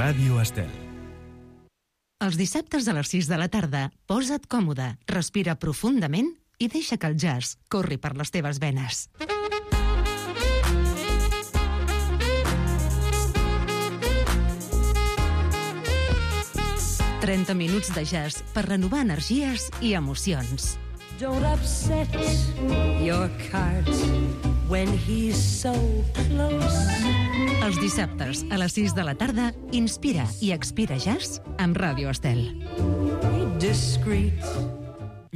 Ràdio Estel. Els dissabtes a les 6 de la tarda, posa't còmode, respira profundament i deixa que el jazz corri per les teves venes. «30 minuts de jazz per renovar energies i emocions». Don't upset your cart when he's so close. Els dissabtes a les 6 de la tarda, inspira i expira jazz amb Ràdio Estel. Discreet.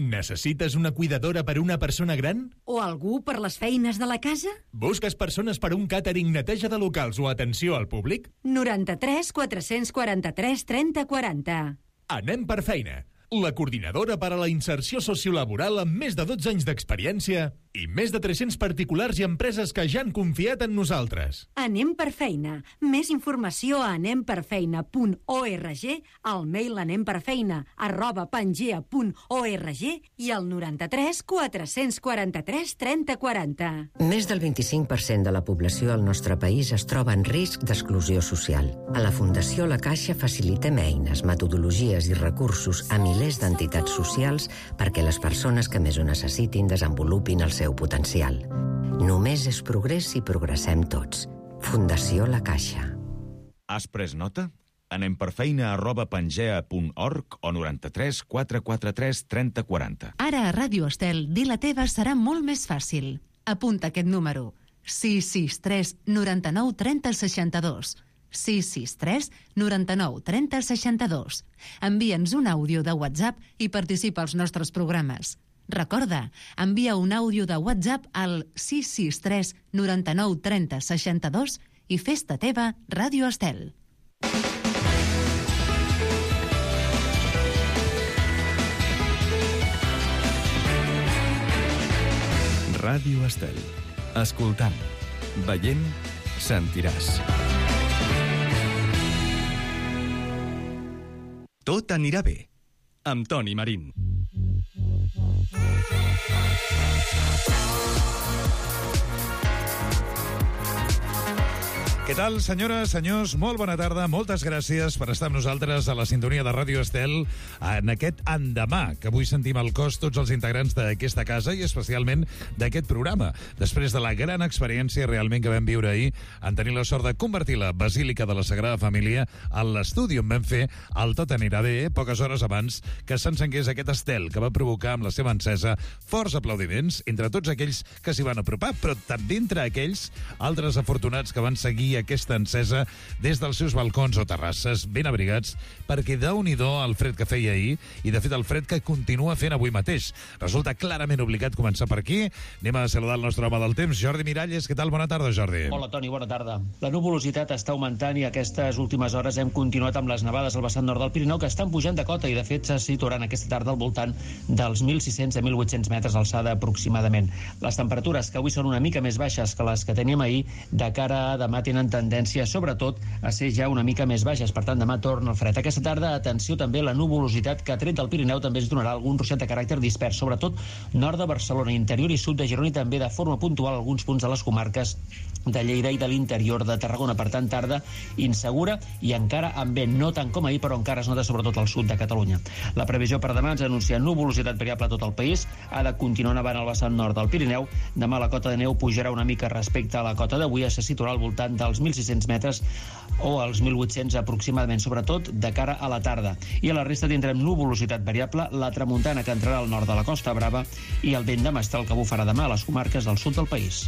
Necessites una cuidadora per una persona gran? O algú per les feines de la casa? Busques persones per un càtering, neteja de locals o atenció al públic? 93 443 30 40. Anem per feina. La coordinadora per a la inserció sociolaboral amb més de 12 anys d'experiència i més de 300 particulars i empreses que ja han confiat en nosaltres. Anem per feina. Més informació a anemperfeina.org, al mail anemperfeina@pangea.org i al 93 443 30 40. Més del 25% de la població al nostre país es troba en risc d'exclusió social. A la Fundació La Caixa facilitem eines, metodologies i recursos a milers d'entitats socials perquè les persones que més ho necessitin desenvolupin el seu potencial. Només és progrés si progressem tots. Fundació La Caixa. Has pres nota? anemperfeina@pangea.org o 93 443 30 40. Ara a Ràdio Estel, dir la teva serà molt més fàcil. Apunta aquest número: 663 99 30 62. 663 99 30 62. Envia'ns un àudio de WhatsApp i participa als nostres programes. Recorda, envia un àudio de WhatsApp al 663 99 30 62 i fes-te teva Ràdio Estel. Ràdio Estel. Escoltant, veient, sentiràs. Tot anirà bé, amb Toni Marín. Què tal, senyores, senyors? Molt bona tarda, moltes gràcies per estar amb nosaltres a la sintonia de Ràdio Estel en aquest endemà, que avui sentim al cos tots els integrants d'aquesta casa i especialment d'aquest programa, després de la gran experiència realment que vam viure ahir en tenir la sort de convertir la Basílica de la Sagrada Família en l'estudi on vam fer el Tot anirà bé, poques hores abans que s'encengués aquest estel que va provocar amb la seva encesa forts aplaudiments entre tots aquells que s'hi van apropar, però també entre aquells altres afortunats que van seguir aquesta encesa des dels seus balcons o terrasses ben abrigats, perquè déu-n'hi-do el fred que feia ahir i de fet el fred que continua fent avui mateix. Resulta clarament obligat començar per aquí. Anem a saludar el nostre home del temps, Jordi Miralles. Què tal? Bona tarda, Jordi. Hola, Toni, bona tarda. La nuvolositat està augmentant i aquestes últimes hores hem continuat amb les nevades al vessant nord del Pirineu, que estan pujant de cota i de fet se situaran aquesta tarda al voltant dels 1.600 a 1.800 metres d'alçada aproximadament. Les temperatures, que avui són una mica més baixes que les que teníem ahir, de cara a demà tenen tendència, sobretot, a ser ja una mica més baixes. Per tant, demà torna el fred. Aquesta tarda, atenció també a la nuvolositat que, tret del Pirineu, també es donarà algun ruixat de caràcter dispers, sobretot nord de Barcelona, interior i sud de Girona i també de forma puntual alguns punts de les comarques de Lleida i de l'interior de Tarragona. Per tant, tarda insegura i encara amb vent, no tant com ahir, però encara es nota sobretot al sud de Catalunya. La previsió per demà ens anuncia nuvolositat variable a tot el país. Ha de continuar nevant al vessant nord del Pirineu. Demà la cota de neu pujarà una mica respecte a la cota d'avui, se situarà al voltant dels 1.600 metres o als 1.800 aproximadament, sobretot de cara a la tarda. I a la resta tindrem nuvolositat variable, la tramuntana que entrarà al nord de la Costa Brava i el vent de mestral que bufarà demà a les comarques del sud del país.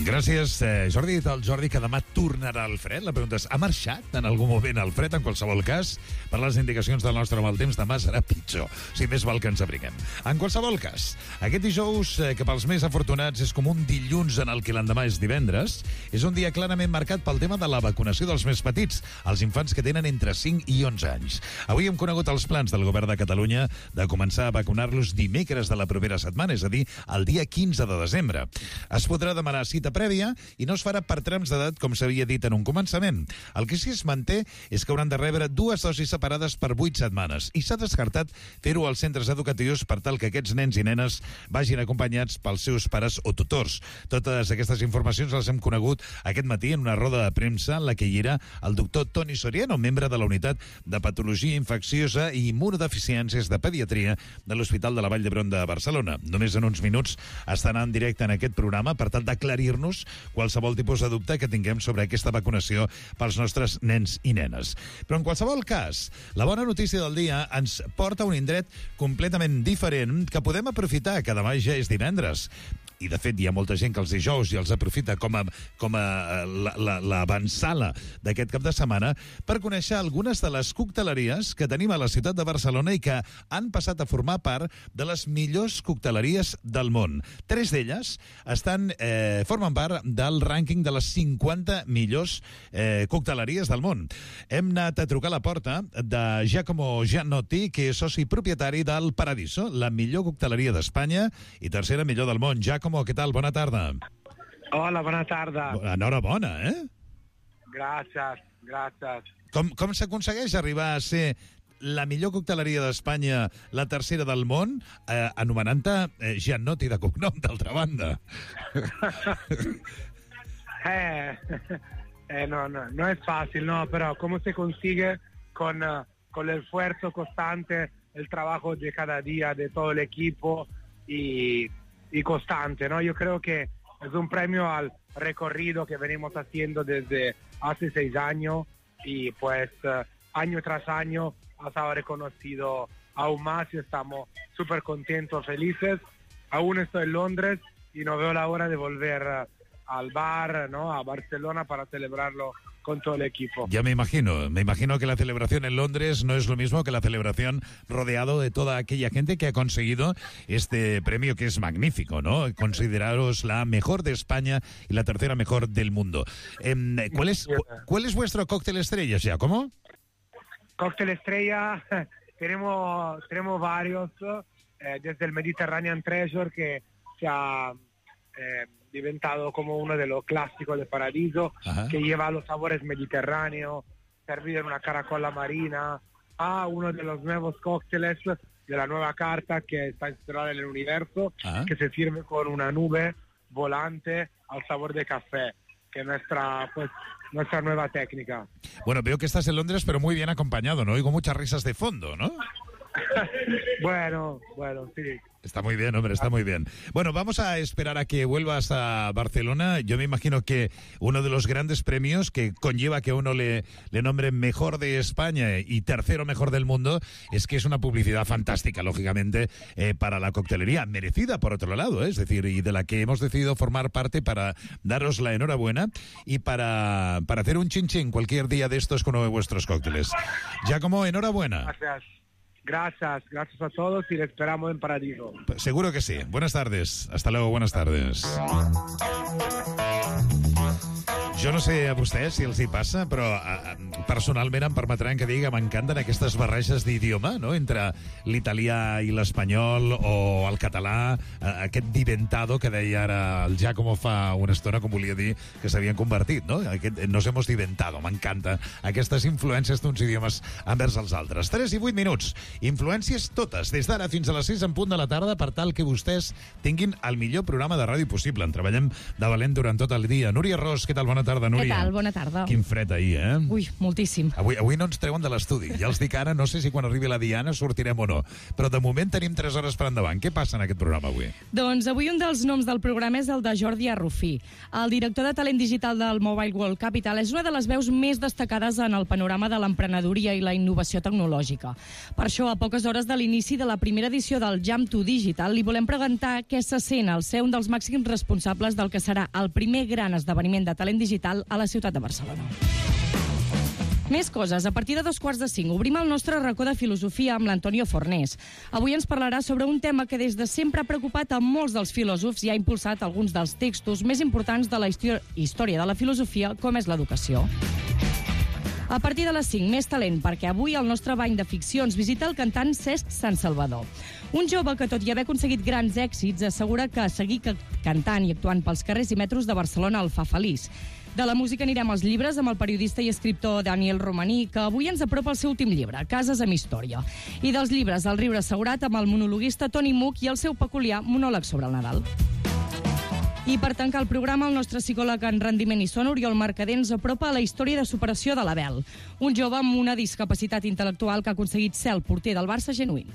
Gràcies, Jordi. El Jordi, que demà tornarà al fred. La pregunta és, ha marxat en algun moment al fred? En qualsevol cas, per les indicacions del nostre mal temps, demà serà pitjor. O sigui, més val que ens abriguem. En qualsevol cas, aquest dijous, que pels més afortunats és com un dilluns en el que l'endemà és divendres, és un dia clarament marcat pel tema de la vacunació dels més petits, els infants que tenen entre 5 i 11 anys. Avui hem conegut els plans del govern de Catalunya de començar a vacunar-los dimecres de la propera setmana, és a dir, el dia 15 de desembre. Es podrà demanar cita cita prèvia i no es farà per trams d'edat, com s'havia dit en un començament. El que sí es manté és que hauran de rebre 2 dosis separades per 8 setmanes i s'ha descartat fer-ho als centres educatius per tal que aquests nens i nenes vagin acompanyats pels seus pares o tutors. Totes aquestes informacions les hem conegut aquest matí en una roda de premsa en la que hi era el doctor Toni Soriano, membre de la unitat de patologia infecciosa i immunodeficiències de pediatria de l'Hospital de la Vall d'Hebron de Barcelona. Només en uns minuts estarà en directe en aquest programa per tal d'aclarir-nos qualsevol tipus de dubte que tinguem sobre aquesta vacunació pels nostres nens i nenes. Però en qualsevol cas, la bona notícia del dia ens porta a un indret completament diferent que podem aprofitar, que demà ja és divendres. I, de fet, hi ha molta gent que els dijous i els aprofita com a l'avançala d'aquest cap de setmana per conèixer algunes de les cocteleries que tenim a la ciutat de Barcelona i que han passat a formar part de les millors cocteleries del món. 3 d'elles formen part del rànquing de les 50 millors cocteleries del món. Hem anat a trucar a la porta de Giacomo Giannotti, que és soci propietari del Paradiso, la millor cocteleria d'Espanya i tercera millor del món. Giacomo, què tal? Bona tarda. Hola, bona tarda. Enhorabona, Gràcies. Com s'aconsegueix arribar a ser la millor cocteleria d'Espanya, la tercera del món, anomenant-te Giannotti de cognom, d'altra banda? No es fácil, ¿no? Pero cómo se consigue con el esfuerzo constante, el trabajo de cada día de todo el equipo y constante, ¿no? Yo creo que es un premio al recorrido que venimos haciendo desde hace 6 años y pues año tras año ha estado reconocido aún más y estamos súper contentos, felices. Aún estoy en Londres y no veo la hora de volver al bar, ¿no? A Barcelona para celebrarlo con todo el equipo. Ya me imagino que la celebración en Londres no es lo mismo que la celebración rodeado de toda aquella gente que ha conseguido este premio, que es magnífico, ¿no? Consideraros la mejor de España y la tercera mejor del mundo. ¿Cuál es vuestro cóctel estrella, Giacomo? Cóctel estrella, tenemos varios, desde el Mediterranean Treasure, que se ha diventado como uno de los clásicos de Paradiso, que lleva los sabores mediterráneos, servido en una caracola marina, a uno de los nuevos cócteles de la nueva carta que está inspirada en el universo, que se sirve con una nube volante al sabor de café, que es nuestra nueva técnica. Bueno, veo que estás en Londres, pero muy bien acompañado, ¿no? Oigo muchas risas de fondo, ¿no? Bueno, sí. Está muy bien, hombre, está muy bien. Bueno, vamos a esperar a que vuelvas a Barcelona. Yo me imagino que uno de los grandes premios que conlleva que uno le nombre mejor de España y tercero mejor del mundo es que es una publicidad fantástica, lógicamente, para la coctelería, merecida por otro lado, es decir, y de la que hemos decidido formar parte para daros la enhorabuena y para hacer un chin-chin cualquier día de estos con uno de vuestros cócteles. Giacomo, enhorabuena. Gracias a todos y les esperamos en Paradiso. Seguro que sí. Buenas tardes. Hasta luego, buenas tardes. Jo no sé a vostès si els hi passa, però personalment em permetran que digui que m'encanten aquestes barreges d'idioma, no?, entre l'italià i l'espanyol o el català, aquest diventado que deia ara el Giacomo fa una estona, com volia dir que s'havien convertit, no? Nos hemos diventado. M'encanta aquestes influències d'uns idiomes envers els altres. 3 i 8 minuts. Influències totes, des d'ara fins a les 6 en punt de la tarda, per tal que vostès tinguin el millor programa de ràdio possible. En treballem de valent durant tot el dia. Núria Ros, què tal? Bona tarda, Núria. Què tal? Bona tarda. Quin fred ahir, eh? Ui, moltíssim. Avui no ens treuen de l'estudi. Ja els dic ara, no sé si quan arribi la Diana sortirem o no. Però de moment tenim 3 hores per endavant. Què passa en aquest programa avui? Doncs avui un dels noms del programa és el de Jordi Arrufí. El director de talent digital del Mobile World Capital és una de les veus més destacades en el panorama de l'emprenedoria i la innovació tecnològica. Per això, a poques hores de l'inici de la primera edició del Jam to Digital, li volem preguntar què se sent al ser un dels màxims responsables del que serà el primer gran esdeveniment de talent digital a la ciutat de Barcelona. Més coses. A partir de 4:45 obrim el nostre racó de filosofia amb l'Antonio Fornés. Avui ens parlarà sobre un tema que des de sempre ha preocupat a molts dels filòsofs i ha impulsat alguns dels textos més importants de la història de la filosofia, com és l'educació. A partir de les 5, més talent, perquè avui al nostre bany de ficcions visita el cantant Cesc Sant Salvador. Un jove que, tot i haver aconseguit grans èxits, assegura que seguir cantant i actuant pels carrers i metros de Barcelona el fa feliç. De la música anirem als llibres amb el periodista i escriptor Daniel Romaní, que avui ens apropa el seu últim llibre, Cases amb història. I dels llibres, El riure assegurat, amb el monologuista Toni Much i el seu peculiar monòleg sobre el Nadal. I per tancar el programa, el nostre psicòleg en rendiment i son, Oriol Mercader, ens apropa a la història de superació de l'Abel, un jove amb una discapacitat intel·lectual que ha aconseguit ser el porter del Barça genuí.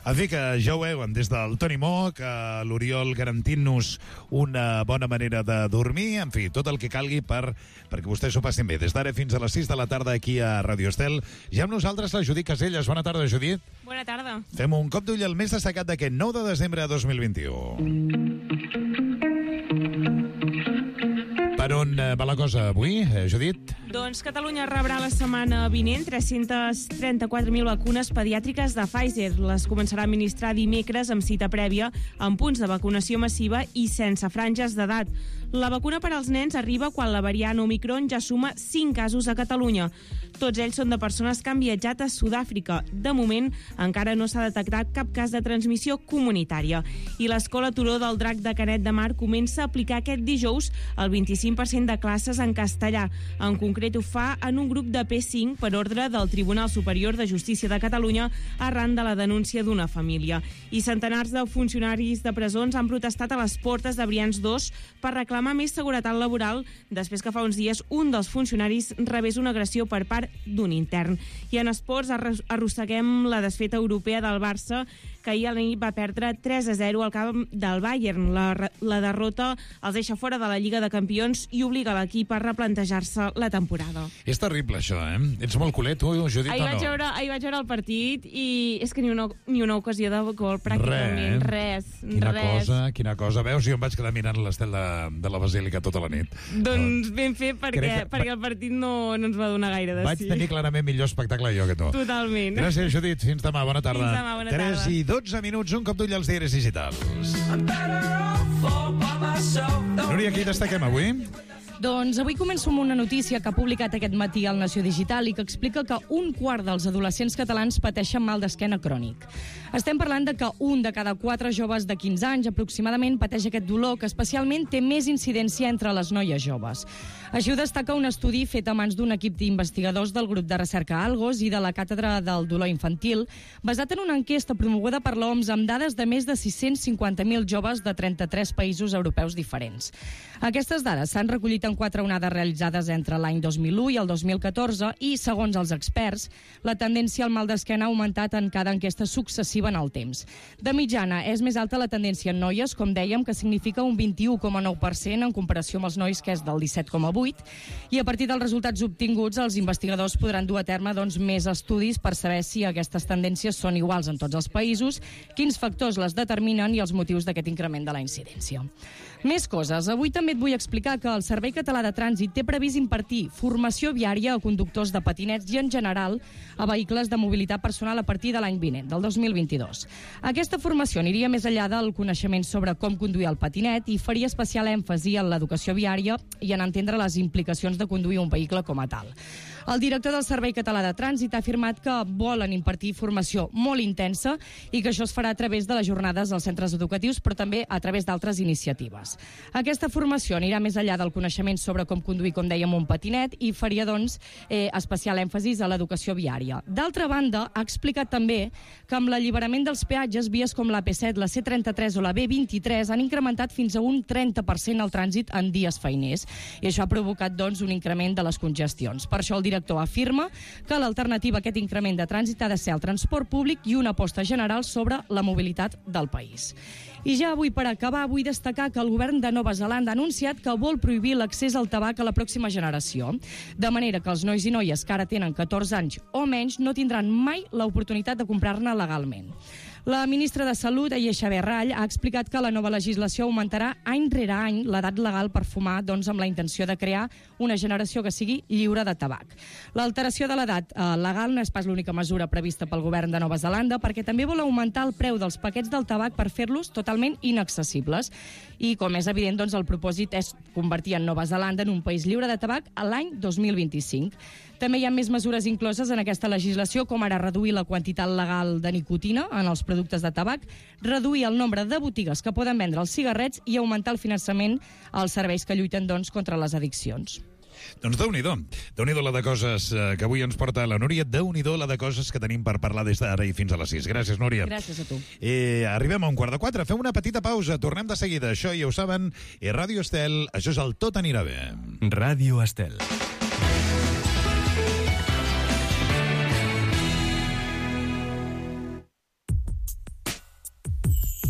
En fi, que ja ho veuen, des del Toni Moch, l'Oriol garantint-nos una bona manera de dormir, en fi, tot el que calgui perquè vostès s'ho passin bé. Des d'ara fins a les 6 de la tarda aquí a Radio Estel. Ja amb nosaltres la Judit Caselles. Bona tarda, Judit. Bona tarda. Fem un cop d'ull al més destacat d'aquest 9 de desembre de 2021. Per on va la cosa avui, Judit? Doncs Catalunya rebrà la setmana vinent 334.000 vacunes pediàtriques de Pfizer. Les començarà a administrar dimecres amb cita prèvia, amb punts de vacunació massiva i sense franges d'edat. La vacuna per als nens arriba quan la variant Omicron ja suma 5 casos a Catalunya. Tots ells són de persones que han viatjat a Sud-àfrica. De moment, encara no s'ha detectat cap cas de transmissió comunitària. I l'Escola Turó del Drac de Canet de Mar comença a aplicar aquest dijous el 25% de classes en castellà. En concret, ho fa en un grup de P5 per ordre del Tribunal Superior de Justícia de Catalunya arran de la denúncia d'una família. I centenars de funcionaris de presons han protestat a les portes de Brians 2 per reclamar més seguretat laboral després que fa uns dies un dels funcionaris rebés una agressió per part d'un intern. I en esports arrosseguem la desfeta europea del Barça, que ahir a la nit va perdre 3-0 al camp del Bayern. La derrota els deixa fora de la Lliga de Campions i obliga l'equip a replantejar-se la temporada. És terrible, això, eh? Ets molt culer, tu, Judit, ahir o no? Ahir vaig veure el partit i és que ni una ocasió de gol, pràcticament. Res. Quina cosa. Veus, jo em vaig quedar mirant l'estel de la Basílica tota la nit. Doncs ben fet, perquè el partit no ens va donar gaire de sí. Vaig tenir clarament millor espectacle jo que tu. Totalment. Gràcies, Judit. Fins demà. Bona tarda. Fins demà, bona tarda. 3 i 12 minuts, un cop d'ull als diaris digitals. Núria, qui destaquem avui? Doncs avui començo amb una notícia que ha publicat aquest matí al Nació Digital i que explica que un quart dels adolescents catalans pateixen mal d'esquena crònic. Estem parlant de que un de cada 4 joves de 15 anys aproximadament pateix aquest dolor, que especialment té més incidència entre les noies joves. Així ho destaca un estudi fet a mans d'un equip d'investigadors del grup de recerca Algos i de la Càtedra del Dolor Infantil, basat en una enquesta promoguda per l'OMS amb dades de més de 650.000 joves de 33 països europeus diferents. Aquestes dades s'han recollit en 4 onades realitzades entre l'any 2001 i el 2014 i, segons els experts, la tendència al mal d'esquena ha augmentat en cada enquesta successiva en el temps. De mitjana, és més alta la tendència en noies, com dèiem, que significa un 21,9% en comparació amb els nois, que és del 17,8%, i a partir dels resultats obtinguts, els investigadors podran dur a terme més estudis per saber si aquestes tendències són iguals en tots els països, quins factors les determinen i els motius d'aquest increment de la incidència. Més coses. Avui també et vull explicar que el Servei Català de Trànsit té previst impartir formació viària a conductors de patinets i, en general, a vehicles de mobilitat personal a partir de l'any vinent, del 2022. Aquesta formació aniria més enllà del coneixement sobre com conduir el patinet i faria especial èmfasi en l'educació viària i en entendre les implicacions de conduir un vehicle com a tal. El director del Servei Català de Trànsit ha afirmat que volen impartir formació molt intensa i que això es farà a través de les jornades als centres educatius, però també a través d'altres iniciatives. Aquesta formació anirà més enllà del coneixement sobre com conduir, com dèiem, un patinet i faria, especial èmfasis a l'educació viària. D'altra banda, ha explicat també que amb l'alliberament dels peatges, vies com la P7, la C33 o la B23 han incrementat fins a un 30% el trànsit en dies feiners i això ha provocat, un increment de les congestions. Per això el director afirma que l'alternativa a aquest increment de trànsit ha de ser el transport públic i una aposta general sobre la mobilitat del país. I ja avui, per acabar, vull destacar que el govern de Nova Zelanda ha anunciat que vol prohibir l'accés al tabac a la pròxima generació, de manera que els nois i noies que ara tenen 14 anys o menys no tindran mai l'oportunitat de comprar-ne legalment. La ministra de Salut, Aixa Berrall, ha explicat que la nova legislació augmentarà any rere any l'edat legal per fumar, doncs amb la intenció de crear una generació que sigui lliure de tabac. L'alteració de l'edat legal no és pas l'única mesura prevista pel govern de Nova Zelanda, perquè també vol augmentar el preu dels paquets del tabac per fer-los totalment inaccessibles. I, com és evident, doncs, el propòsit és convertir en Nova Zelanda en un país lliure de tabac a l'any 2025. També hi ha més mesures incloses en aquesta legislació, com ara reduir la quantitat legal de nicotina en els productes de tabac, reduir el nombre de botigues que poden vendre els cigarrets i augmentar el finançament als serveis que lluiten, doncs, contra les addiccions. Doncs Déu-n'hi-do la de coses que avui ens porta la Núria, Déu-n'hi-do la de coses que tenim per parlar des d'ara i fins a les 6. Gràcies, Núria. Gràcies a tu. Arribem a 3:15, fem una petita pausa, tornem de seguida. Això ja ho saben, Ràdio Estel, això és el Tot anirà bé. Ràdio Estel.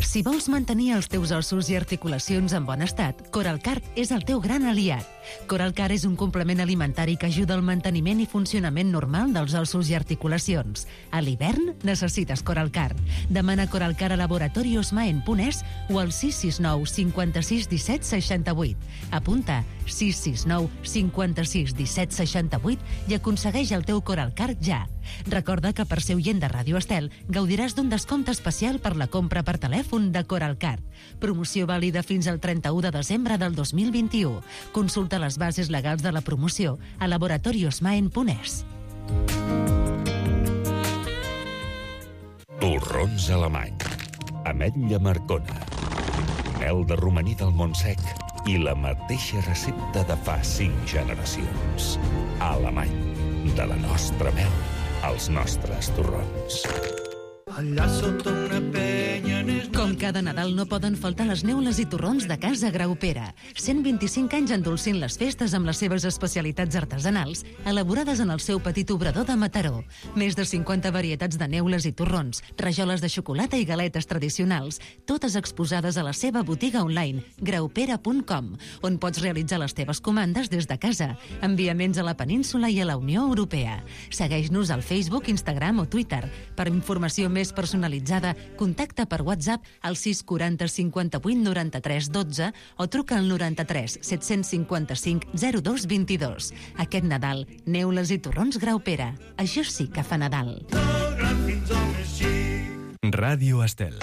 Si vols mantenir els teus ossos i articulacions en bon estat, Coralcart és el teu gran aliat. Coralcart és un complement alimentari que ajuda al manteniment i funcionament normal dels ossos i articulacions. A l'hivern necessites Coralcart. Demana Coralcart a laboratoriosmaen.es o al 669 56 17 68. Apunta 669 56 17 68 i aconsegueix el teu Coralcart ja. Recorda que per ser oient de Ràdio Estel gaudiràs d'un descompte especial per la compra per telèfon de Coralcart. Promoció vàlida fins al 31 de desembre del 2021. Consulta les bases legals de la promoció a laboratoriosmaen.es. Torrons alemany, ametlla marcona, mel de romaní del Montsec i la mateixa recepta de fa 5 generacions. Alemany, de la nostra mel als nostres torrons. Allà sota una penya... Com cada Nadal no poden faltar les neules i torrons de Casa Graupera. 125 anys endolcint les festes amb les seves especialitats artesanals, elaborades en el seu petit obrador de Mataró. Més de 50 varietats de neules i torrons, rajoles de xocolata i galetes tradicionals, totes exposades a la seva botiga online, graupera.com, on pots realitzar les teves comandes des de casa. Enviaments a la península i a la Unió Europea. Segueix-nos al Facebook, Instagram o Twitter. Per informació més personalitzada, contacta per WhatsApp al 640 58 93 12 o truca al 93 755 02 22. Aquest Nadal, neules i torrons Graupera. Això sí que fa Nadal. Ràdio Estel.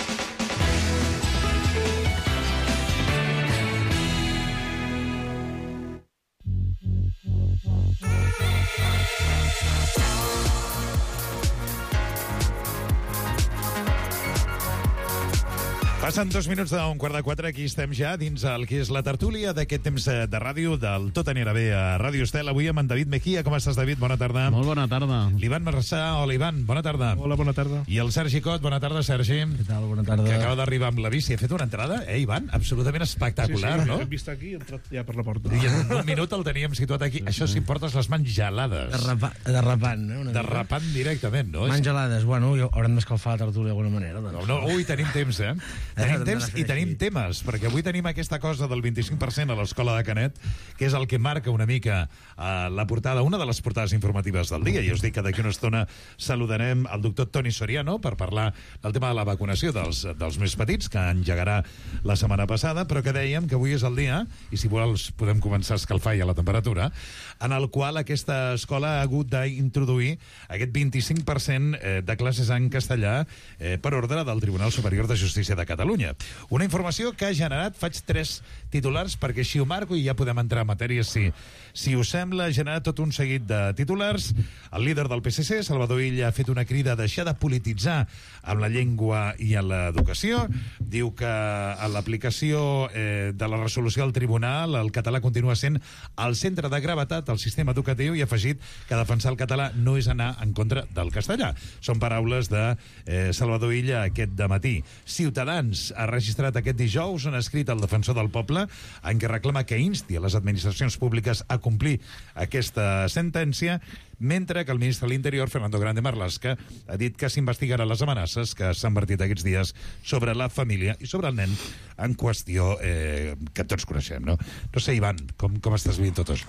Passen 2 minuts d'un 3:15, aquí estem ja dins el que és la tertúlia d'aquest temps de ràdio del Tot anirà bé a Ràdio Estel. Avui amb en David Mejía. Com estàs, David? Bona tarda. Molt bona tarda. L'Ivan Marçà. Hola, Ivan. Bona tarda. Hola, bona tarda. I el Sergi Cot. Bona tarda, Sergi. Què tal? Bona tarda. Que acaba d'arribar amb la bici. Ha fet una entrada, Ivan? Absolutament espectacular, sí, no? Hem vist aquí i he entrat ja per la porta. I en un minut el teníem situat aquí. Això si portes les mans gelades. Derrapant, no? Derrapant directament, no? Mans gelades. Bueno, haurem d'escalfar la tertúlia d'alguna manera. Doncs. No, ui, tenim temps, Tenim temps i tenim temes, perquè avui tenim aquesta cosa del 25% a l'Escola de Canet, que és el que marca una mica la portada, una de les portades informatives del dia. I us dic que d'aquí una estona saludarem el doctor Toni Soriano per parlar del tema de la vacunació dels més petits, que engegarà la setmana passada, però que dèiem que avui és el dia, i si vols podem començar a escalfar ja la temperatura, en el qual aquesta escola ha hagut d'introduir aquest 25% de classes en castellà per ordre del Tribunal Superior de Justícia de Catalunya. Una informació que ha generat, faig 3 titulars perquè així ho marco i ja podem entrar en matèria si us sembla, ha generat tot un seguit de titulars. El líder del PSC, Salvador Illa, ha fet una crida a deixar de polititzar amb la llengua i en l'educació. Diu que a l'aplicació de la resolució del tribunal el català continua sent el centre de gravetat del sistema educatiu i ha afegit que defensar el català no és anar en contra del castellà. Són paraules de Salvador Illa aquest dematí. Ciutadans ha registrat aquest dijous un escrit al defensor del poble en què reclama que insti a les administracions públiques a complir aquesta sentència, mentre que el ministre de l'Interior, Fernando Grande Marlaska, ha dit que s'investigarà les amenaces que s'han vertit aquests dies sobre la família i sobre el nen en qüestió que tots coneixem, no? No sé, Ivan, com estàs vivint tot això?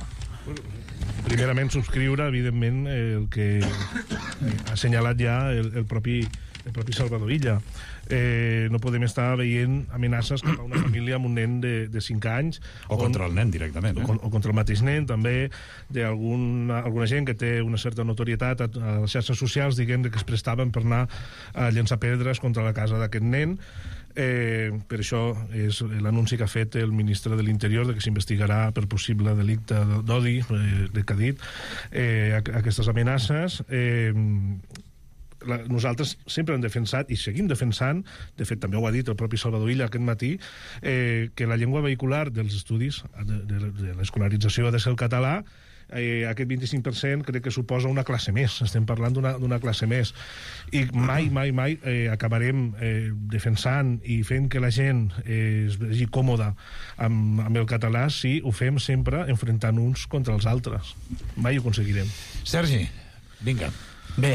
Primerament, subscriure, evidentment, el que ha assenyalat ja el propi el propi Salvador Illa. No podem estar veient amenaces cap a una família amb un nen de 5 anys. O contra el nen directament. O contra el mateix nen, també, d'alguna gent que té una certa notorietat a les xarxes socials, diguem que es prestaven per anar a llançar pedres contra la casa d'aquest nen. Per això és l'anunci que ha fet el ministre de l'Interior de que s'investigarà per possible delicte d'odi, que ha dit, aquestes amenaces. Nosaltres sempre hem defensat i seguim defensant, de fet també ho ha dit el propi Salvador Illa aquest matí, que la llengua vehicular dels estudis de l'escolarització ha de ser el català. Aquest 25% crec que suposa una classe més, estem parlant d'una classe més, i mai acabarem defensant i fent que la gent es vegi còmoda amb el català si ho fem sempre enfrontant uns contra els altres. Mai ho aconseguirem. Sergi, vinga. Bé,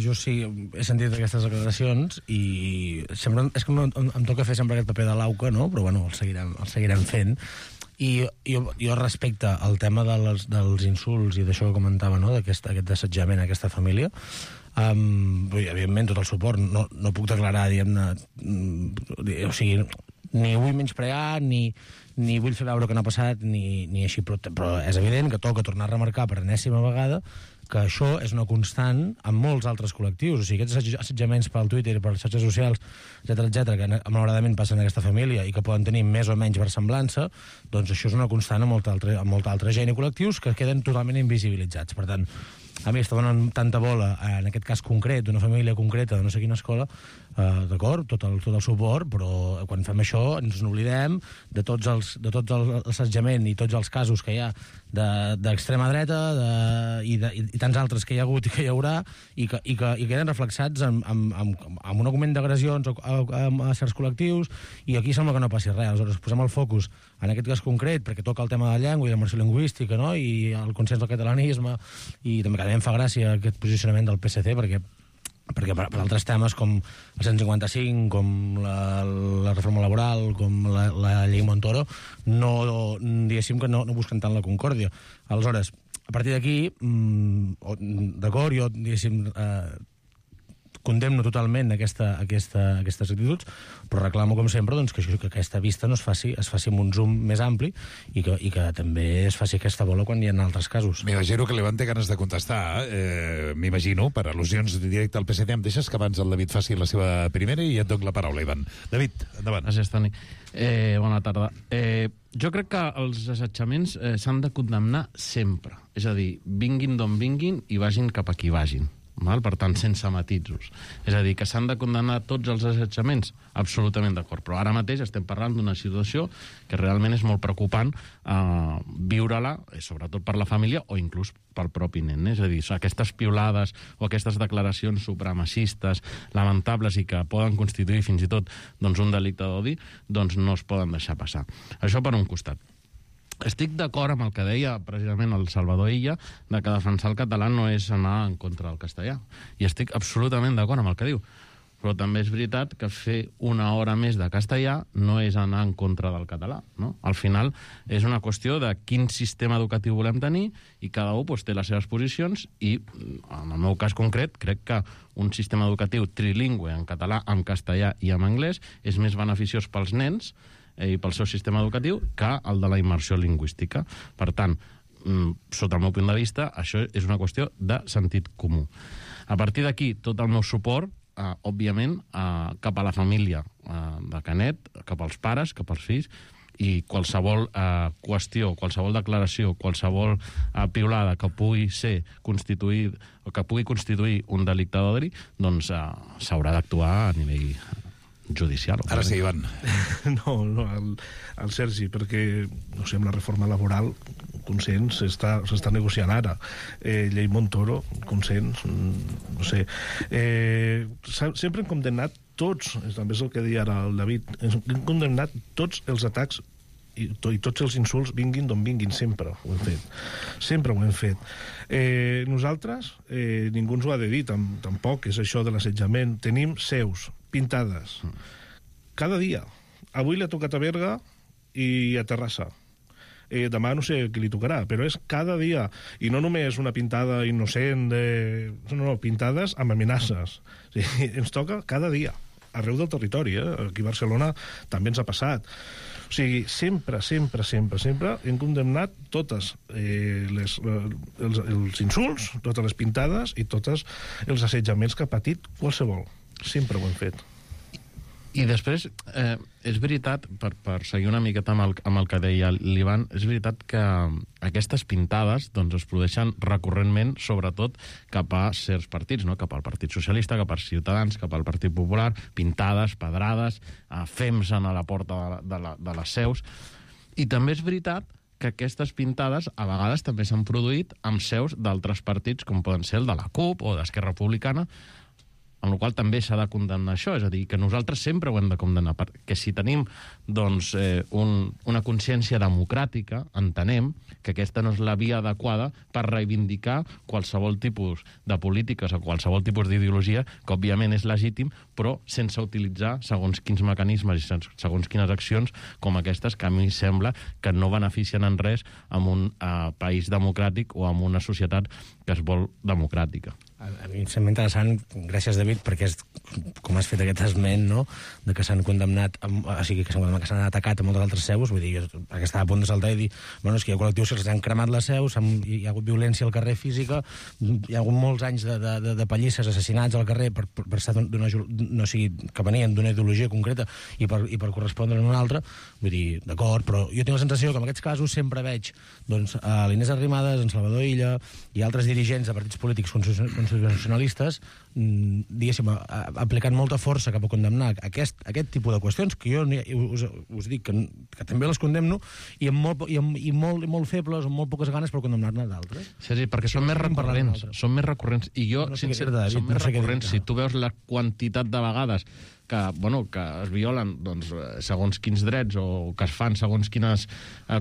jo sí, he sentit aquestes declaracions i sempre, és que em toca fer sempre aquest paper de l'auca, no? Però bueno, el seguirem fent. I jo respecte al tema dels insults i d'això que comentava, no? D'aquest assetjament a aquesta família, evidentment tot el suport, no puc declarar, diguem-ne, o sigui, ni vull menysprear ni vull fer veure que no ha passat ni així, però és evident que toca tornar a remarcar per enèsima vegada que això és una constant en molts altres col·lectius. O sigui, aquests assetjaments pel Twitter, per les xarxes socials, etcètera, que malauradament passen en aquesta família i que poden tenir més o menys versemblança, doncs això és una constant en molta altra gent i col·lectius que queden totalment invisibilitzats. Per tant, a mi està donant tanta bola, en aquest cas concret, d'una família concreta de no sé quina escola, d'acord, tot el suport, però quan fem això ens n'oblidem de tots l'assetjament i tots els casos que hi ha d'extrema dreta i tants altres que hi ha hagut i que hi haurà i que queden reflexats en un augment d'agressions a certs col·lectius, i aquí sembla que no passi res. Aleshores posem el focus en aquest cas concret perquè toca el tema de la llengua i de la immersió lingüística, no? I el consens del catalanisme, i també que em fa gràcia aquest posicionament del PSC perquè per altres temes com el 155, com la reforma laboral, com la llei Montoro, diguéssim que no busquen tant la concòrdia. Aleshores, a partir d'aquí, d'acord, jo, diguéssim, condemno totalment aquestes actituds, però reclamo, com sempre, doncs, que aquesta vista no es faci amb un zoom més ampli i que també es faci aquesta bola quan hi ha altres casos. M'imagino que l'Ivan té ganes de contestar, m'imagino, per al·lusions directes al PSC. Em deixes que abans el David faci la seva primera i et dono la paraula, Ivan. David, endavant. Gràcies, Toni. Bona tarda. Jo crec que els assetjaments s'han de condemnar sempre. És a dir, vinguin d'on vinguin i vagin cap a qui vagin. Per tant, sense matisos. És a dir, que s'han de condemnar tots els assetjaments? Absolutament d'acord. Però ara mateix estem parlant d'una situació que realment és molt preocupant viure-la, sobretot per la família o inclús pel propi nen. És a dir, aquestes piulades o aquestes declaracions supremacistes lamentables i que poden constituir fins i tot un delicte d'odi, doncs no es poden deixar passar. Això per un costat. Estic d'acord amb el que deia precisament el Salvador Illa, de que defensar el català no és anar en contra del castellà. I estic absolutament d'acord amb el que diu. Però també és veritat que fer una hora més de castellà no és anar en contra del català, no? Al final és una qüestió de quin sistema educatiu volem tenir i cada un té les seves posicions i, en el meu cas concret, crec que un sistema educatiu trilingüe en català, en castellà i en anglès és més beneficiós pels nens i pel seu sistema educatiu que el de la immersió lingüística. Per tant, sota el meu punt de vista, això és una qüestió de sentit comú. A partir d'aquí, tot el meu suport, òbviament, cap a la família de Canet, cap als pares, cap als fills, i qualsevol qüestió, qualsevol declaració, qualsevol piulada que pugui ser constituït o que pugui constituir un delicte d'odi, doncs s'haurà d'actuar a nivell judicial. Ara sí, Ivan. No, el Sergi, perquè, no sé, amb la reforma laboral, consens, s'està negociant ara. Llei Montoro, consens, no sé. Sempre hem condemnat tots, també és el que deia ara el David, hem condemnat tots els atacs i tots els insults vinguin d'on vinguin, sempre ho hem fet. Sempre ho hem fet. Nosaltres, ningú ens ho ha de dir, tampoc és això de l'assetjament. Tenim seus pintades cada dia. Avui l'ha tocat a Berga i a Terrassa. demà no sé qui li tocarà, però és cada dia, i no només una pintada innocent, no, pintades amb amenaces. O sigui, ens toca cada dia, arreu del territori, aquí a Barcelona també ens ha passat. O sigui, sempre hem condemnat totes els insults, totes les pintades i tots els assetjaments que ha patit qualsevol. Sempre ho hem fet. I després, és veritat, per seguir una miqueta amb el que deia l'Ivan, és veritat que aquestes pintades doncs, es produeixen recurrentment, sobretot cap a certs partits, no? Cap al Partit Socialista, cap als Ciutadans, cap al Partit Popular, pintades, pedrades, fems a la porta de les seus. I també és veritat que aquestes pintades a vegades també s'han produït amb seus d'altres partits, com poden ser el de la CUP o d'Esquerra Republicana, amb la qual també s'ha de condemnar això, és a dir, que nosaltres sempre ho hem de condemnar, perquè si tenim doncs, una consciència democràtica, entenem que aquesta no és la via adequada per reivindicar qualsevol tipus de polítiques o qualsevol tipus d'ideologia, que òbviament és legítim, però sense utilitzar segons quins mecanismes i segons quines accions com aquestes, que a mi sembla que no beneficien en res en un país democràtic o en una societat que es vol democràtica. A mi em sembla interessant, gràcies David, perquè és, com has fet aquest esment, no?, de que s'han condemnat, o sigui, que s'han atacat a moltes altres seus, vull dir, perquè estava a punt de saltar i dir, bueno, és que hi ha col·lectius que s'han cremat les seus, hi ha hagut violència al carrer física, hi ha hagut molts anys de pallisses, assassinats al carrer per estar no sigui, que venien d'una ideologia concreta i per correspondre a una altra, vull dir, d'acord, però jo tinc la sensació que en aquests casos sempre veig doncs, a l'Inés Arrimadas, en Salvador Illa i altres dirigents de partits polítics constitucionalistes, diguéssim, aplicant molta força cap a condemnar aquest tipus de qüestions, que jo us dic que també les condemno, i molt febles, amb molt poques ganes per condemnar-ne d'altres. Sí, perquè són més recurrents, i jo, sincerament, són més recurrents. Si tu veus la quantitat de vegades que es violen doncs, segons quins drets o que es fan segons quines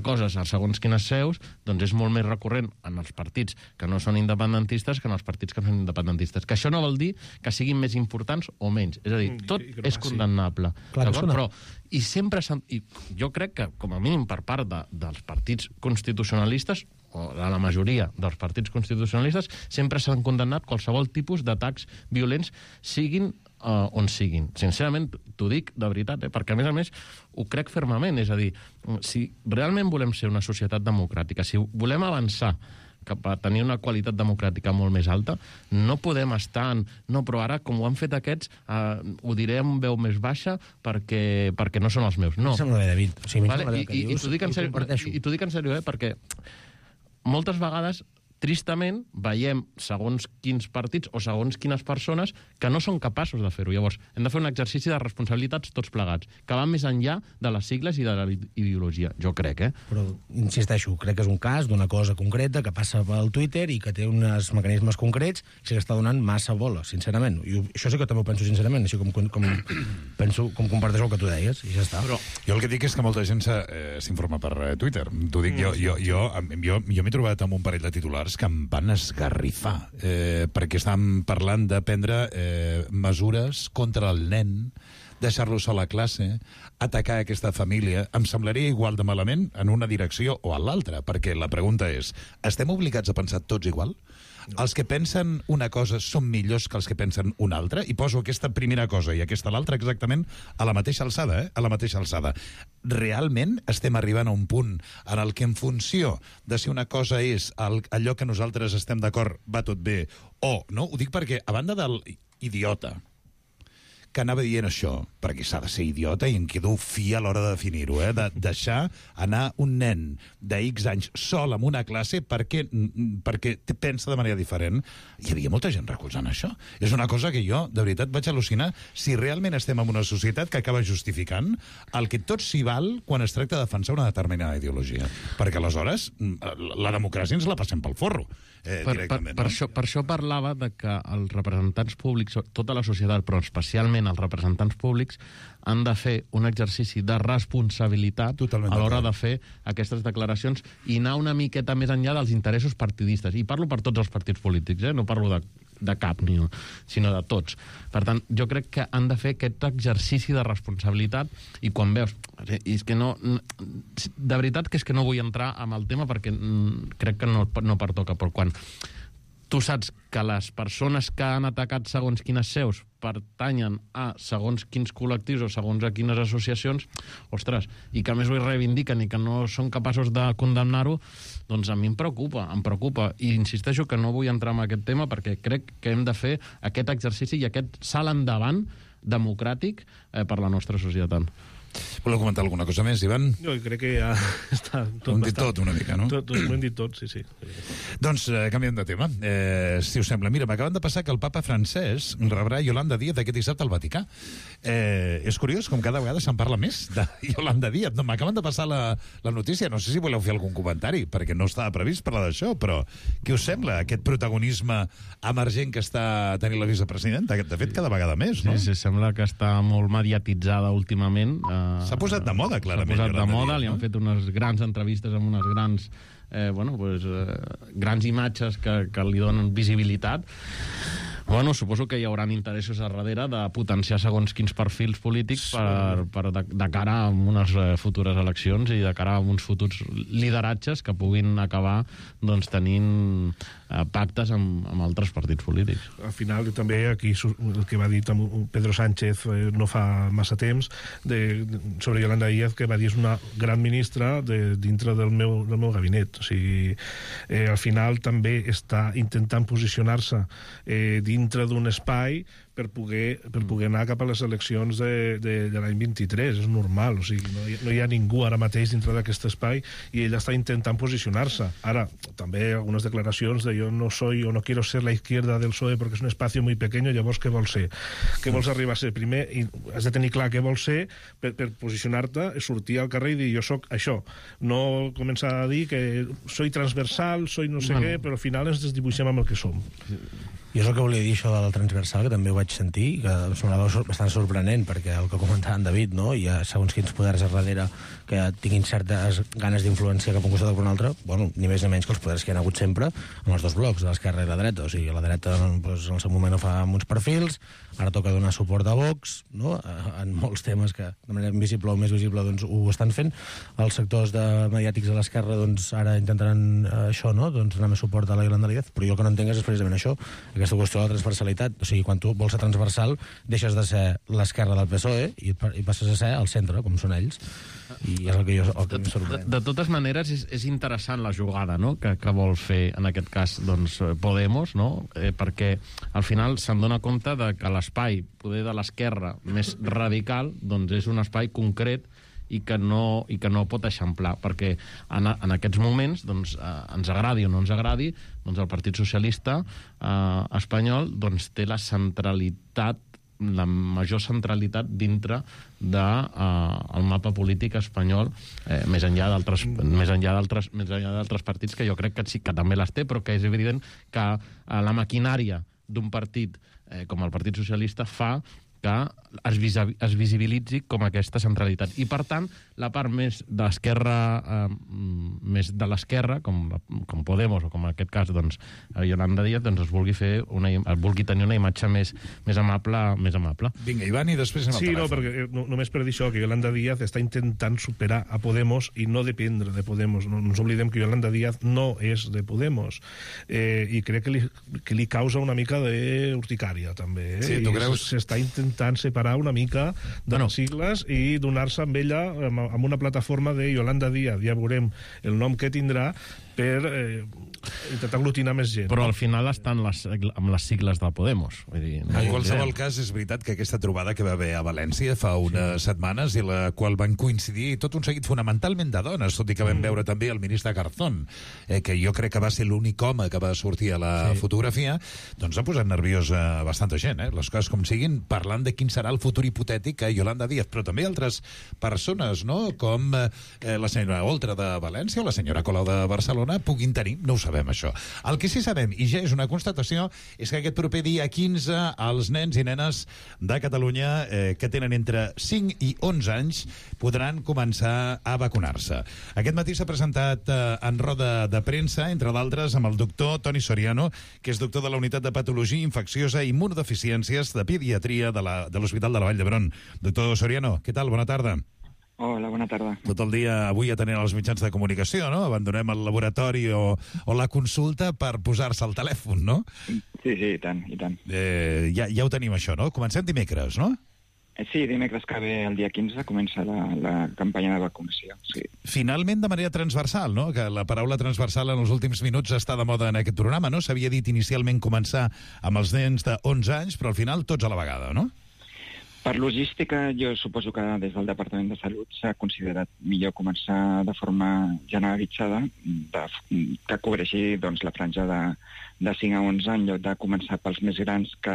coses a segons quines seus, doncs és molt més recurrent en els partits que no són independentistes que en els partits que són independentistes. Que això no vol dir que siguin més importants o menys. És a dir, tot és condemnable. Però i sempre jo crec que, com a mínim per part dels partits constitucionalistes, o de la majoria dels partits constitucionalistes, sempre s'han condemnat qualsevol tipus d'atacs violents, siguin on siguin. Sincerament, t'ho dic de veritat, perquè a més ho crec fermament. És a dir, si realment volem ser una societat democràtica, si volem avançar cap a tenir una qualitat democràtica molt més alta, no podem estar en... No, però ara, com ho han fet aquests, ho diré amb veu més baixa perquè no són els meus. No. Sembla bé, David. O sigui, I t'ho dic en sèrio, perquè moltes vegades, tristament, veiem segons quins partits o segons quines persones que no són capaços de fer-ho. Llavors, hem de fer un exercici de responsabilitats tots plegats, que van més enllà de les sigles i de la ideologia. Jo crec, Però, insisteixo, crec que és un cas d'una cosa concreta que passa pel Twitter i que té uns mecanismes concrets i que està donant massa bola, sincerament. I això sí que també ho penso sincerament, així com comparteixo el que tu deies, i ja està. Però jo el que dic és que molta gent s'informa per Twitter. T'ho dic, jo m'he trobat amb un parell de titulars que em van esgarrifar, perquè estàvem parlant de prendre mesures contra el nen, deixar-lo sol a classe, atacar aquesta família. Em semblaria igual de malament en una direcció o a l'altra, perquè la pregunta és, estem obligats a pensar tots igual? Els que pensen una cosa són millors que els que pensen una altra? I poso aquesta primera cosa i aquesta l'altra exactament a la mateixa alçada, a la mateixa alçada. Realment estem arribant a un punt en el que en funció de si una cosa és allò que nosaltres estem d'acord va tot bé o no? Ho dic perquè, a banda del idiota que anava dient això, perquè s'ha de ser idiota i em quedo fi a l'hora de definir-ho, de deixar anar un nen de X anys sol en una classe perquè pensa de manera diferent. Hi havia molta gent recolzant això. És una cosa que jo, de veritat, vaig al·lucinar si realment estem en una societat que acaba justificant el que tot s'hi val quan es tracta de defensar una determinada ideologia. Perquè aleshores la democràcia ens la passem pel forro. Per això parlava de que els representants públics, tota la societat, però especialment els representants públics, han de fer un exercici de responsabilitat a l'hora de fer aquestes declaracions i anar una miqueta més enllà dels interessos partidistes. I parlo per tots els partits polítics, no parlo de de cap, sinó de tots. Per tant, jo crec que han de fer aquest exercici de responsabilitat i quan veus... I és que no... De veritat que és que no vull entrar en el tema perquè crec que no pertoca, però quan tu saps que les persones que han atacat segons quines seus pertanyen a segons quins col·lectius o segons a quines associacions, ostres, i que a més ho reivindiquen i que no són capaços de condemnar-ho, doncs a mi em preocupa. I insisteixo que no vull entrar en aquest tema perquè crec que hem de fer aquest exercici i aquest salt endavant democràtic per la nostra societat. Voleu comentar alguna cosa més, Ivan? Jo crec que ja està tot. Ho hem dit tot una mica, no? Ho hem dit tot, sí. Doncs canviem de tema, si us sembla. Mira, m'acaben de passar que el papa francès rebrà Yolanda Díaz aquest dissabte al Vaticà. És curiós, com cada vegada se'n parla més de Yolanda Díaz. No, m'acaben de passar la notícia, no sé si voleu fer algun comentari, perquè no estava previst parlar d'això, però què us sembla, aquest protagonisme emergent que està tenint la vicepresidenta? De fet, cada vegada més, no? Sí, sembla que està molt mediatitzada últimament. S'ha posat de moda, clarament. S'ha posat de moda, li han fet unes grans entrevistes amb unes grans grans imatges que li donen visibilitat. Bueno, suposo que hi haurà interessos a darrere de potenciar segons quins perfils polítics de cara a unes futures eleccions i de cara a uns futurs lideratges que puguin acabar tenint pactes amb altres partits polítics. Al final, també aquí el que va dir Pedro Sánchez no fa massa temps sobre Yolanda Díaz, que va dir és una gran ministra dintre del meu gabinet. O sigui, al final també està intentant posicionar-se dintre d'un espai per poder anar cap a les eleccions de l'any 23. És normal, o sigui, no hi ha ningú ara mateix dintre d'aquest espai i ella està intentant posicionar-se. Ara, també algunes declaracions de yo no soy o no quiero ser la izquierda del PSOE porque es un espacio muy pequeño, llavors què vols ser? Què vols arribar a ser? Primer has de tenir clar què vols ser per posicionar-te, sortir al carrer i dir jo sóc això. No començar a dir que soy transversal, soy no sé què, però al final ens desdibuixem amb el que som. Jo és el que volia dir, això de la transversal, que també ho vaig sentir, que em semblava bastant sorprenent, perquè el que comentava en David, no? Hi ha segons quins poders a darrere que tinguin certes ganes d'influenciar cap a un costat o per un altre, bueno, ni més ni menys que els poders que hi ha hagut sempre en els dos blocs, de l'esquerra i la dreta. O sigui, la dreta doncs, en el seu moment ho fa amb uns perfils, ara toca donar suport a Vox, no? En molts temes que de manera invisible o més visible doncs, ho estan fent. Els sectors mediàtics de l'esquerra doncs, ara intentaran això, no? Doncs, donar més suport a la Yolanda Díaz, però jo el que no entenc és precisament això, aquesta qüestió de la transversalitat. O sigui, quan tu vols ser transversal, deixes de ser l'esquerra del PSOE i passes a ser el centre, com són ells. I és el que em sorprèn. De totes maneres, és interessant la jugada, no?, que vol fer, en aquest cas, doncs, Podemos, no?, perquè al final se'n dona compte de que l'espai, poder de l'esquerra més radical, doncs és un espai concret i que no pot eixamplar, perquè en aquests moments, doncs, ens agradi o no ens agradi, doncs el Partit Socialista espanyol doncs, té la centralitat, la major centralitat dintre del mapa polític espanyol, més enllà d'altres partits que jo crec que sí que també les té, però que és evident que la maquinària d'un partit com el Partit Socialista fa que es visibilitzi com aquesta centralitat. I, per tant, la part més de l'esquerra, com Podemos, o com en aquest cas, doncs, Yolanda Díaz, doncs es vulgui tenir una imatge més amable. Vinga, Ivan, i després anem al telèfon. Sí, perquè només per dir això, que Yolanda Díaz està intentant superar a Podemos i no dependre de Podemos. No ens oblidem que Yolanda Díaz no és de Podemos. I crec que li causa una mica d'urticària, també. Sí, tu creus? S'està intentant separar una mica de les sigles i donar-se amb ella amb una plataforma de Yolanda Díaz. Ja veurem el nom que tindrà per intentar aglutinar més gent. Però al final estan amb les sigles de Podemos. Vull dir, en qualsevol cas, és veritat que aquesta trobada que va haver a València fa unes setmanes i la qual van coincidir tot un seguit fonamentalment de dones, tot i que vam veure també el ministre Garzón, que jo crec que va ser l'únic home que va sortir a la fotografia, doncs ha posat nerviós bastanta gent, les coses com siguin, parlant de quin serà el futur hipotètic a Yolanda Díaz, però també altres persones, no?, com la senyora Oltra de València o la senyora Colau de Barcelona, Barcelona puguin tenir, no ho sabem, això. El que sí sabem, i ja és una constatació, és que aquest proper dia 15 els nens i nenes de Catalunya que tenen entre 5 i 11 anys podran començar a vacunar-se. Aquest matí s'ha presentat en roda de premsa, entre d'altres, amb el doctor Toni Soriano, que és doctor de la Unitat de Patologia Infecciosa i Immunodeficiències de Pediatria de l'Hospital de la Vall d'Hebron. Doctor Soriano, què tal? Bona tarda. Hola, bona tarda. Tot el dia avui atenent els mitjans de comunicació, no? Abandonem el laboratori o la consulta per posar-se al telèfon, no? Sí, i tant, i tant. Ja ho tenim, això, no? Comencem dimecres, no? Sí, dimecres que ve, el dia 15, comença la campanya de vacunació, sí. Finalment, de manera transversal, no? Que la paraula transversal en els últims minuts està de moda en aquest programa, no? S'havia dit inicialment començar amb els nens de 11 anys, però al final tots a la vegada, no? Per logística, jo suposo que des del Departament de Salut s'ha considerat millor començar de forma generalitzada, que cobreixi doncs, la franja de 5 a 11 en lloc de començar pels més grans que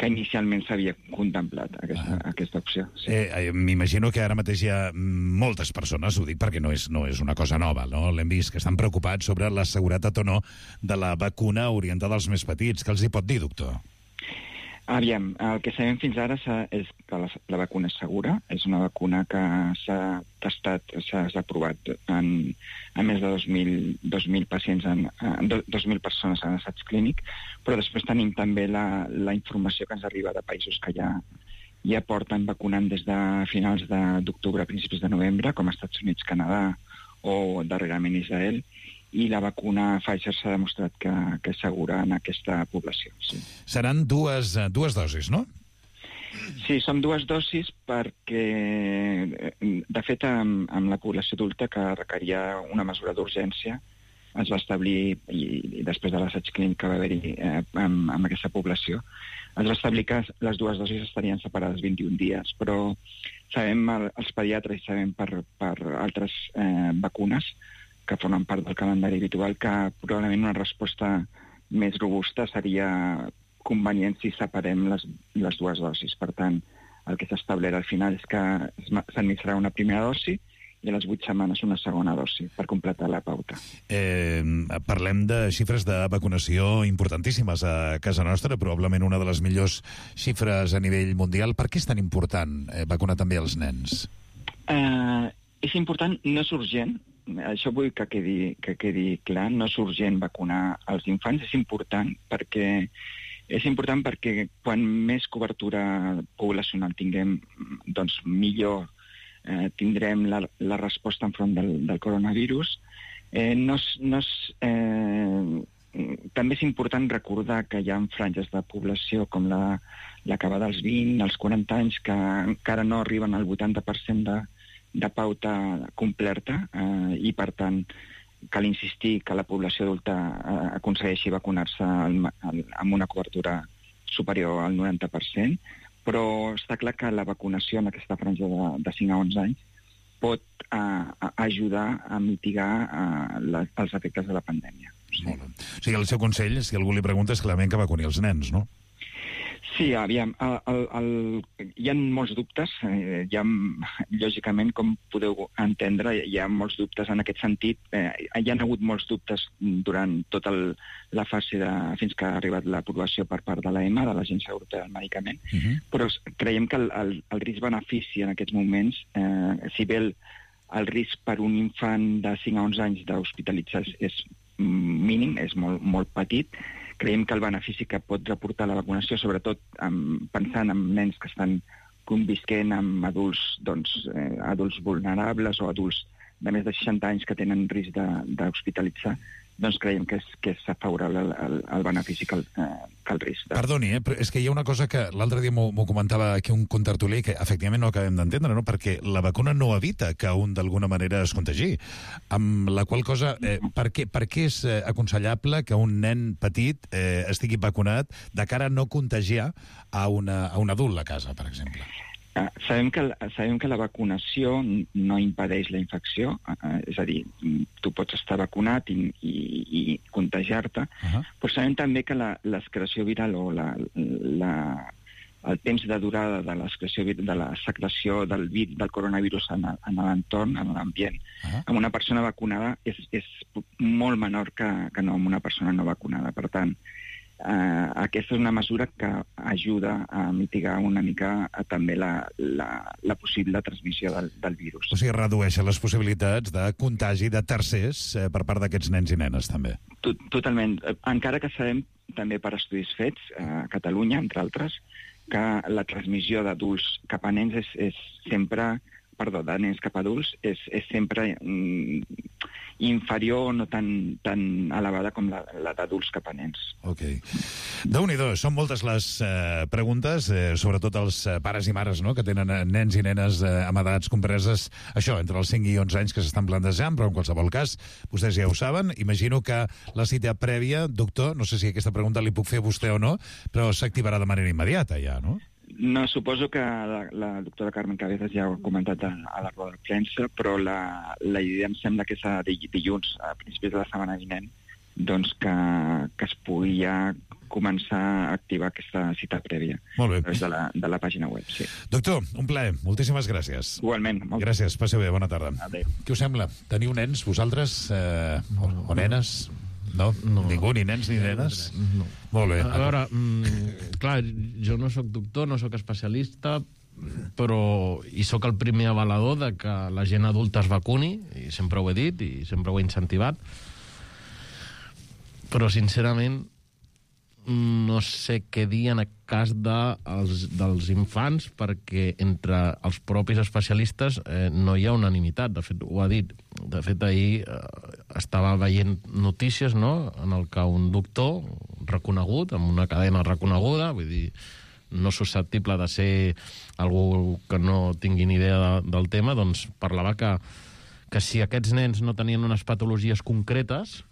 inicialment s'havia contemplat aquesta opció. Sí. M'imagino que ara mateix hi ha moltes persones, ho dic perquè no és una cosa nova, no? L'hem vist, que estan preocupats sobre la seguretat o no de la vacuna orientada als més petits. Què els hi pot dir, doctor? Aviam, el que sabem fins ara és que la vacuna és segura, és una vacuna que s'ha testat, s'ha aprovat en més de 2.000 pacients, 2.000 persones en assaig clínic, però després tenim també la informació que ens arriba de països que ja porten vacunant des de finals d'octubre a principis de novembre, com Estats Units, Canadà o darrerament Israel, i la vacuna Pfizer s'ha demostrat que és segura en aquesta població. Sí. Seran dues dosis, no? Sí, són 2 dosis perquè, de fet, amb la població adulta que requeria una mesura d'urgència, es va establir, i després de l'assaig clínic que va haver-hi amb aquesta població, es va establir que les 2 dosis estarien separades 21 dies, però sabem, els pediatres, i sabem per altres vacunes, que formen part del calendari habitual, que probablement una resposta més robusta seria convenient si separem les 2 dosis. Per tant, el que s'ha establert al final és que s'administrarà una primera dosi i a les 8 setmanes una segona dosi per completar la pauta. Parlem de xifres de vacunació importantíssimes a casa nostra, probablement una de les millors xifres a nivell mundial. Per què és tan important vacunar també els nens? És important, no és urgent. Això vull que quedi clar, no és urgent vacunar els infants, és important perquè quan més cobertura poblacional tinguem, doncs millor tindrem la resposta enfront del coronavirus. També és important recordar que hi ha franges de població com la que va dels 20 als 40 anys que encara no arriben al 80% de pauta completa i, per tant, cal insistir que la població adulta aconsegueixi vacunar-se amb una cobertura superior al 90%, però està clar que la vacunació en aquesta franja de 5 a 11 anys pot ajudar a mitigar els efectes de la pandèmia. Sí. O sigui, el seu consell, si algú li pregunta, és clarament que vacuni els nens, no? Sí, aviam, hi ha molts dubtes, lògicament, com podeu entendre, hi ha molts dubtes en aquest sentit. Hi ha hagut molts dubtes durant tota la fase fins que ha arribat l'aprovació per part de l'EMA, de l'Agència Europea del Medicament, però creiem que el risc-benefici en aquests moments, si bé el risc per un infant de 5 a 11 anys d'hospitalitzar és mínim, és molt petit, creiem que el benefici que pot reportar la vacunació, sobretot pensant en nens que estan convisquent amb adults vulnerables o adults de més de 60 anys que tenen risc d'hospitalitzar, doncs creiem que és favorable el benefici que el risc. Perdoni, però és que hi ha una cosa que l'altre dia m'ho comentava aquí un contertulià que efectivament no acabem d'entendre, no? Perquè la vacuna no evita que un d'alguna manera es contagi. Amb la qual cosa, per què és aconsellable que un nen petit estigui vacunat de cara a no contagiar a un adult a casa, per exemple? Sabem que la vacunació no impedeix la infecció, és a dir, tu pots estar vacunat i contagiar-te, però sabem també que l'excreció viral o el temps de durada de l'excreció de la secreció del coronavirus en l'entorn, en l'ambient, amb una persona vacunada és molt menor que no amb una persona no vacunada. Per tant, aquesta és una mesura que ajuda a mitigar una mica també la possible transmissió del virus. O sigui, redueixen les possibilitats de contagi de tercers per part d'aquests nens i nenes, també. Totalment. Encara que sabem, també per estudis fets, a Catalunya, entre altres, que la transmissió d'adults cap a nens és sempre... Perdó, de nens cap a adults, és sempre inferior o no tan elevada com la d'adults cap a nens. Ok. Déu-n'hi-do, són moltes les preguntes, sobretot els pares i mares, no?, que tenen nens i nenes amb edats compreses, això, entre els 5 i 11 anys que s'estan plantejant, però en qualsevol cas, vostès ja ho saben. Imagino que la cita prèvia, doctor, no sé si aquesta pregunta li puc fer a vostè o no, però s'activarà de manera immediata ja, no? No, suposo que la doctora Carmen Cabezas ja ho ha comentat a la roda de premsa, però la idea em sembla que és dilluns, a principis de la setmana vinent, doncs que es pugui ja començar a activar aquesta cita prèvia. Molt bé. De la pàgina web, sí. Doctor, un plaer. Moltíssimes gràcies. Igualment. Gràcies. Passeu bé. Bona tarda. Adéu. Què us sembla? Teniu nens, vosaltres? O nenes? No? Ningú, ni nens ni nenes? No. Molt bé. A veure, clar, jo no sóc doctor, no sóc especialista, però hi sóc el primer avalador de que la gent adulta es vacuni, i sempre ho he dit, i sempre ho he incentivat, però sincerament no sé què dir en el cas dels infants, perquè entre els propis especialistes no hi ha unanimitat. De fet, ho ha dit. De fet, ahir estava veient notícies, no?, en el que un doctor reconegut, amb una cadena reconeguda, vull dir, no susceptible de ser algú que no tingui ni idea del tema, doncs parlava que si aquests nens no tenien unes patologies concretes,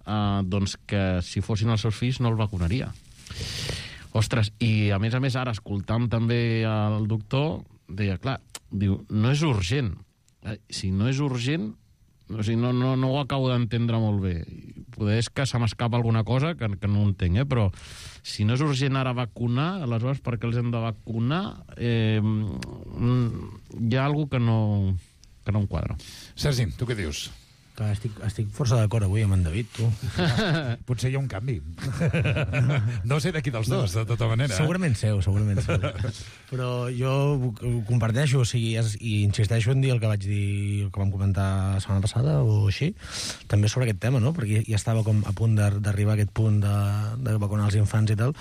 doncs que si fossin els seus fills no el vacunaria. Ostres, i a més ara, escoltant també el doctor, deia, clar, diu, no és urgent. Si no és urgent, o sigui, no ho acabo d'entendre molt bé. Poder és que se m'escapa alguna cosa que no entenc, però si no és urgent ara vacunar, aleshores per què els hem de vacunar? Hi ha alguna que no em quadra. Sergi, tu què dius? Que estic força d'acord avui amb en David, tu. Potser hi ha un canvi. No sé de qui dels dos, de tota manera. Segurament seu. Però jo ho comparteixo, o sigui, i insisteixo en dir el que vaig dir, el que vam comentar la setmana passada o així, també sobre aquest tema, no? Perquè ja estava com a punt d'arribar a aquest punt de vacunar els infants i tal,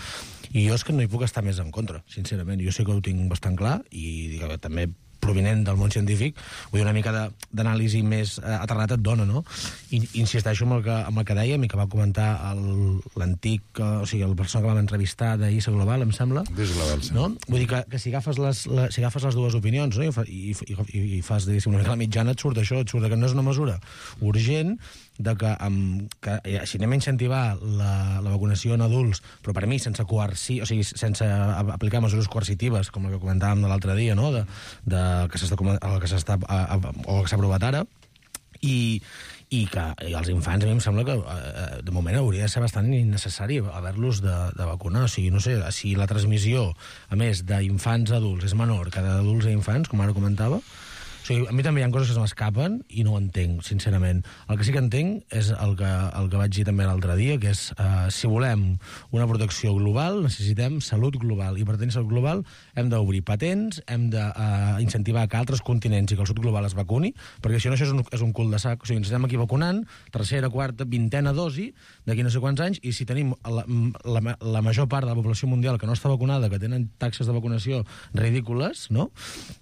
i jo és que no hi puc estar més en contra, sincerament. Jo sí que ho tinc bastant clar, i també provinent del món científic, vull dir, una mica d'anàlisi més aterrat et dona, no? I insisteixo amb el que dèiem i que va comentar l'antic, o sigui, el persona que vam entrevistar d'ISA Global, em sembla. d'ISA Global, sí. No? Vull dir que si agafes les dues opinions, no? I fas, diguéssim, una mica la mitjana, et surt això, et surt que no és una mesura urgent, de que si anem a incentivar la vacunació en adults, però per mi sense aplicar mesures coercitives, com el que comentàvem de l'altre dia, no? Que s'ha aprovat ara, i els infants, a mi em sembla que de moment hauria de ser bastant innecessari haver-los de vacunar. O sigui, no sé, si la transmissió, a més, d'infants a adults és menor que d'adults a infants, com ara comentava, o sigui, a mi també hi ha coses que se m'escapen i no ho entenc, sincerament. El que sí que entenc és el que vaig dir també l'altre dia, que és si volem una protecció global, necessitem salut global. I per tenir salut global hem d'obrir patents, hem d'incentivar que altres continents i que el sud global es vacuni, perquè si no això és un cul de sac. O sigui, ens estem aquí vacunant, tercera, quarta, 20a dosi, d'aquí no sé quants anys, i si tenim la major part de la població mundial que no està vacunada, que tenen taxes de vacunació ridícules, no?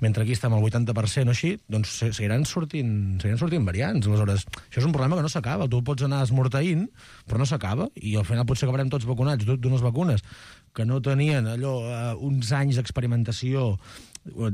Mentre aquí estem al 80% o així, doncs seguiran sortint variants. Aleshores, això és un problema que no s'acaba. Tu pots anar esmorteint, però no s'acaba, i al final potser acabarem tots vacunats d'unes vacunes que no tenien uns anys d'experimentació,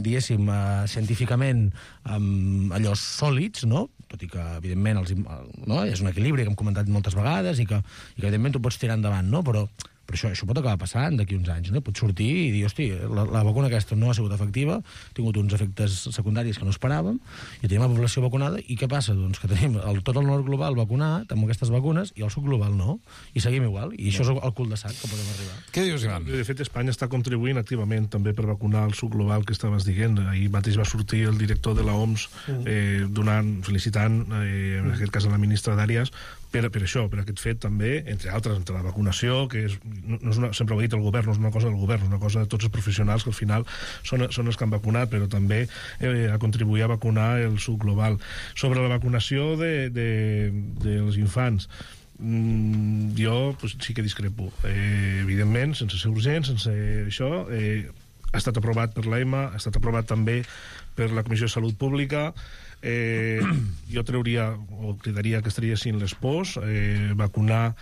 diguéssim, científicament allò sòlids, no? Tot i que, evidentment, és un equilibri que hem comentat moltes vegades i que evidentment tu pots tirar endavant, no? Però això pot acabar passant d'aquí uns anys, no? Pot sortir i dir, hosti, la vacuna aquesta no ha sigut efectiva, ha tingut uns efectes secundaris que no esperàvem, i tenim la població vacunada, i què passa? Doncs que tenim tot el nord global vacunat amb aquestes vacunes i el sud global no, i seguim igual, i això és el cul de sac que podem arribar. Què dius, Ivan? De fet, Espanya està contribuint activament també per vacunar el sud global que estaves dient. Ahir mateix va sortir el director de la OMS felicitant, en aquest cas a la ministra d'Àreas, per això, per aquest fet també, entre altres, entre la vacunació, que no és sempre ho ha dit el govern, no és una cosa del govern, és una cosa de tots els professionals que al final són els que han vacunat, però també a contribuir a vacunar el sud global. Sobre la vacunació dels infants, jo sí que discrepo. Evidentment, sense ser urgent, sense això, ha estat aprovat per l'EMA, ha estat aprovat també per la Comissió de Salut Pública. Jo trauria o cridaria que estiguessin les pors, vacunar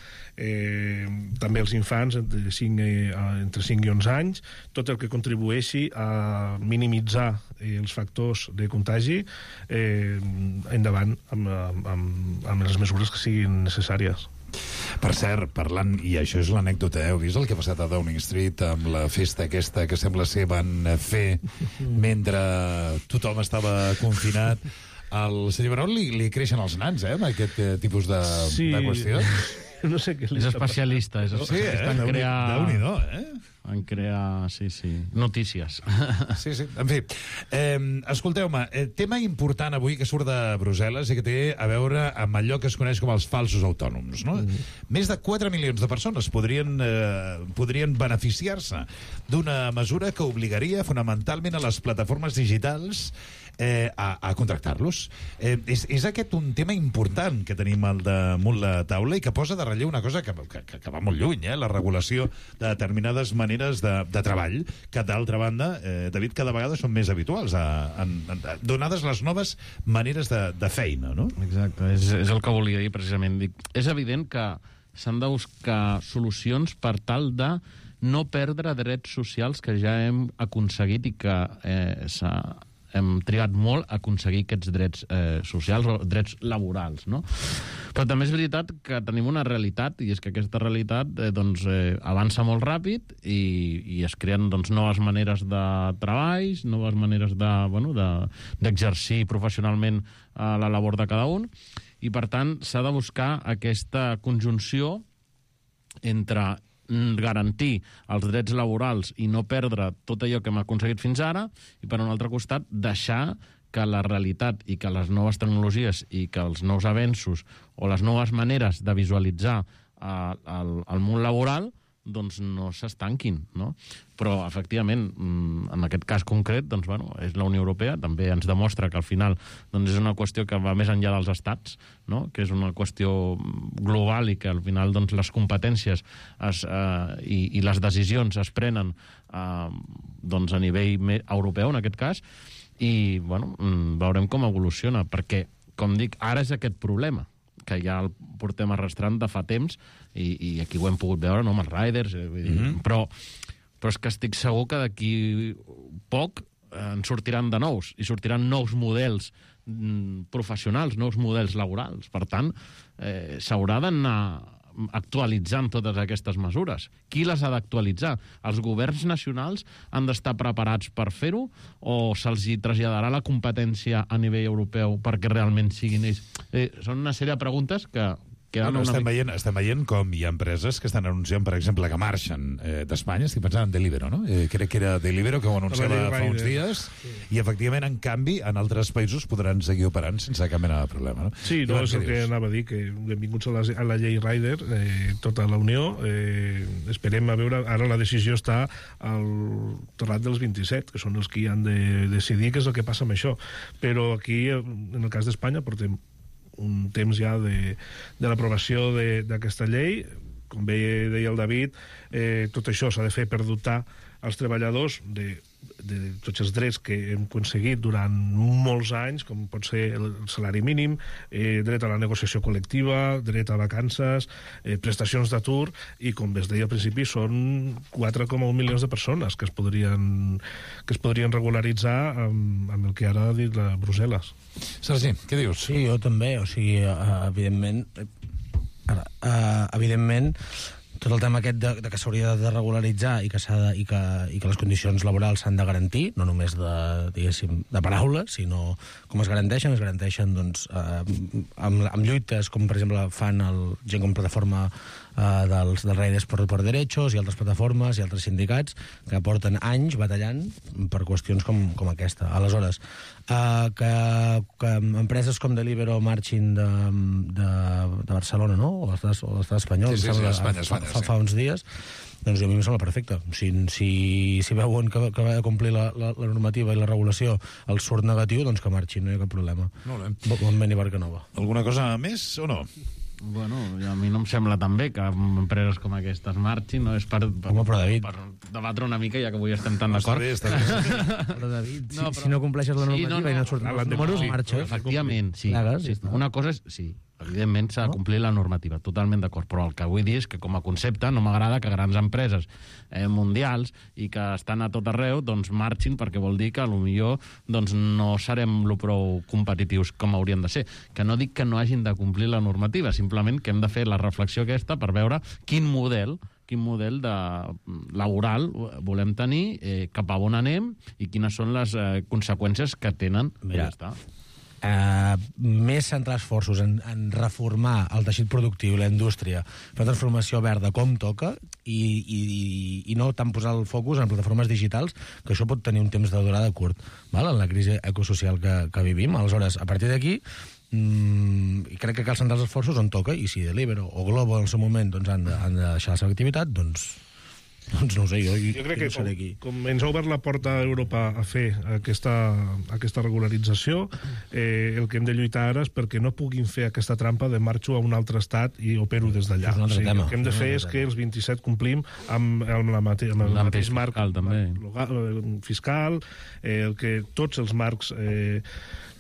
també els infants entre 5 i 11 anys, tot el que contribueixi a minimitzar els factors de contagi, endavant amb les mesures que siguin necessàries. Per cert, parlant, i això és l'anècdota, heu vist el que ha passat a Downing Street amb la festa aquesta que sembla ser van fer mentre tothom estava confinat? Al senyor Baró li creixen els nans, amb aquest tipus de qüestions? No sé què és especialista. Sí, Déu-n'hi-do, en crear, notícies. Sí. En fi, escolteu-me, tema important avui que surt de Brussel·les i que té a veure amb allò que es coneix com els falsos autònoms, no? Més de 4 milions de persones podrien beneficiar-se d'una mesura que obligaria fonamentalment a les plataformes digitals a contractar-los. És aquest un tema important que tenim al damunt la taula i que posa de relleu una cosa que va molt lluny, la regulació de determinades maneres de treball, que d'altra banda, David, cada vegada són més habituals, donades les noves maneres de feina, no? Exacte, és el que volia dir precisament. És evident que s'han de buscar solucions per tal de no perdre drets socials que ja hem aconseguit i que hem trigat molt a aconseguir aquests drets socials o drets laborals, no? Però també és veritat que tenim una realitat, i és que aquesta realitat avança molt ràpid i es creen noves maneres de treball, noves maneres d'exercir professionalment la labor de cada un, i per tant s'ha de buscar aquesta conjunció entre garantir els drets laborals i no perdre tot allò que hem aconseguit fins ara, i per un altre costat deixar que la realitat i que les noves tecnologies i que els nous avenços o les noves maneres de visualitzar el món laboral no s'estanquin, no? Però, efectivament, en aquest cas concret, és la Unió Europea, també ens demostra que al final és una qüestió que va més enllà dels estats, no? Que és una qüestió global i que al final les competències i les decisions es prenen a nivell europeu, en aquest cas, i veurem com evoluciona, perquè, com dic, ara és aquest problema que ja el portem arrastrant de fa temps i aquí ho hem pogut veure, no?, amb els riders, però és que estic segur que d'aquí poc en sortiran de nous, i sortiran nous models professionals, nous models laborals. Per tant, s'haurà d'anar actualitzant totes aquestes mesures. Qui les ha d'actualitzar? Els governs nacionals han d'estar preparats per fer-ho o se'ls traslladarà la competència a nivell europeu perquè realment siguin ells? Són una sèrie de preguntes que estem veient com hi ha empreses que estan anunciant, per exemple, que marxen d'Espanya. Estic pensant en Deliveroo, no? Crec que era Deliveroo que ho anunciava fa uns dies, i efectivament, en canvi, en altres països podran seguir operant sense cap mena de problema, no? Sí, no, és el que anava a dir, que benvinguts a la llei Rider, tota la Unió. Esperem a veure, ara la decisió està al terrat dels 27, que són els que han de decidir què és el que passa amb això. Però aquí, en el cas d'Espanya, portem un temps ja de l'aprovació d'aquesta llei. Com bé deia el David, tot això s'ha de fer per dotar els treballadors de tots els drets que hem aconseguit durant molts anys, com pot ser el salari mínim, dret a la negociació col·lectiva, dret a vacances, prestacions d'atur, i com es deia al principi, són 4,1 milions de persones que es podrien regularitzar amb el que ara ha dit la Brussel·les. Sergi, què dius? Sí, jo també, o sigui, evidentment, tot el tema aquest de que s'hauria de regularitzar i que les condicions laborals s'han de garantir, no només de paraula, sinó com es garanteixen doncs, amb lluites com, per exemple, fan gent com plataforma dels Riders por Derechos i altres plataformes i altres sindicats que porten anys batallant per qüestions com aquesta. Aleshores, que empreses com Deliveroo marxin de Barcelona, no? O l'estat espanyol, sí, Espanya, fa uns dies, doncs a mi em sembla perfecte. Si veuen que va de complir la normativa i la regulació els surt negatiu, doncs que marxin, no hi ha cap problema. Bon vent i barca nova. Alguna cosa més o no? Bueno, a mi no em sembla tan bé que empreses com aquestes marxin, no? És per debatre una mica, ja que avui estem tan d'acord. Està bé. Però, David, si no compleixes la normativa i no surten els números, marxa. Efectivament, sí. Una cosa és, sí, evidentment s'ha de complir la normativa, totalment d'acord, però el que vull dir és que com a concepte no m'agrada que grans empreses mundials i que estan a tot arreu doncs marxin, perquè vol dir que potser doncs, no serem prou competitius com hauríem de ser. Que no dic que no hagin de complir la normativa, simplement que hem de fer la reflexió aquesta per veure quin model laboral volem tenir, cap a on anem i quines són les conseqüències que tenen. Ja està. Més centrar esforços en reformar el teixit productiu i la indústria, fer transformació verda com toca i no tant posar el focus en plataformes digitals, que això pot tenir un temps de durada curt, en la crisi ecosocial que vivim. Aleshores, a partir d'aquí, crec que cal centrar els esforços on toca, i si Deliveroo o Glovo en el seu moment han de deixar la seva activitat, doncs no ho sé, jo crec que com ens ha obert la porta a Europa a fer aquesta regularització, el que hem de lluitar ara és perquè no puguin fer aquesta trampa de marxo a un altre estat i opero des d'allà. El que hem de fer és que els 27 complim amb el mateix marc fiscal, que tots els marcs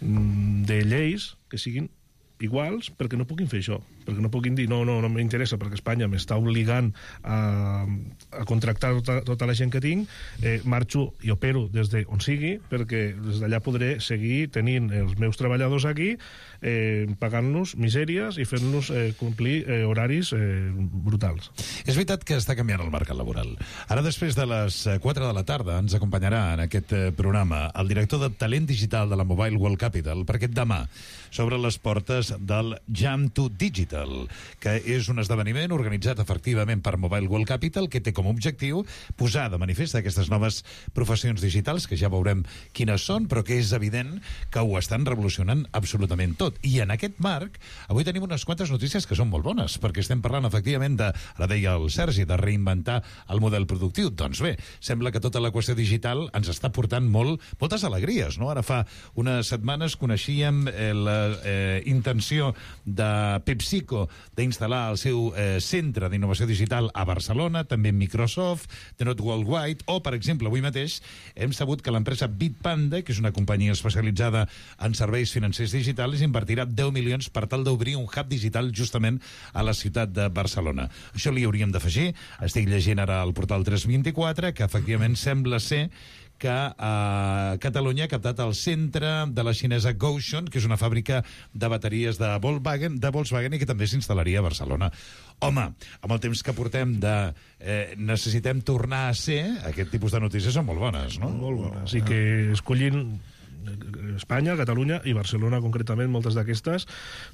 de lleis que siguin iguals, perquè no puguin fer això, perquè no puguin dir no m'interessa perquè Espanya m'està obligant a contractar tota la gent que tinc, marxo i opero des d'on sigui, perquè des d'allà podré seguir tenint els meus treballadors aquí, pagant-los misèries i fent-los complir horaris brutals. És veritat que està canviant el mercat laboral. Ara, després de les 4 de la tarda, ens acompanyarà en aquest programa el director de talent digital de la Mobile World Capital, perquè demà s'obren les portes del Jam to Digital, que és un esdeveniment organitzat efectivament per Mobile World Capital, que té com a objectiu posar de manifest aquestes noves professions digitals, que ja veurem quines són, però que és evident que ho estan revolucionant absolutament tot. I en aquest marc, avui tenim unes quantes notícies que són molt bones, perquè estem parlant efectivament ara deia el Sergi, de reinventar el model productiu. Doncs bé, sembla que tota la qüestió digital ens està portant moltes alegries, no? Ara fa unes setmanes coneixíem la intenció de PepsiCo d'instal·lar el seu centre d'innovació digital a Barcelona, també Microsoft, The Not Worldwide, o, per exemple, avui mateix hem sabut que l'empresa Bitpanda, que és una companyia especialitzada en serveis financers digitals, invertirà 10 milions per tal d'obrir un hub digital justament a la ciutat de Barcelona. Això li hauríem d'afegir. Estic llegint ara al portal 324 que efectivament sembla ser que Catalunya ha captat el centre de la xinesa Gotion, que és una fàbrica de bateries de Volkswagen i que també s'instal·laria a Barcelona. Home, amb el temps que portem necessitem tornar a ser, aquest tipus de notícies són molt bones, no? Molt bones, i que escollin Espanya, Catalunya i Barcelona concretament, moltes d'aquestes,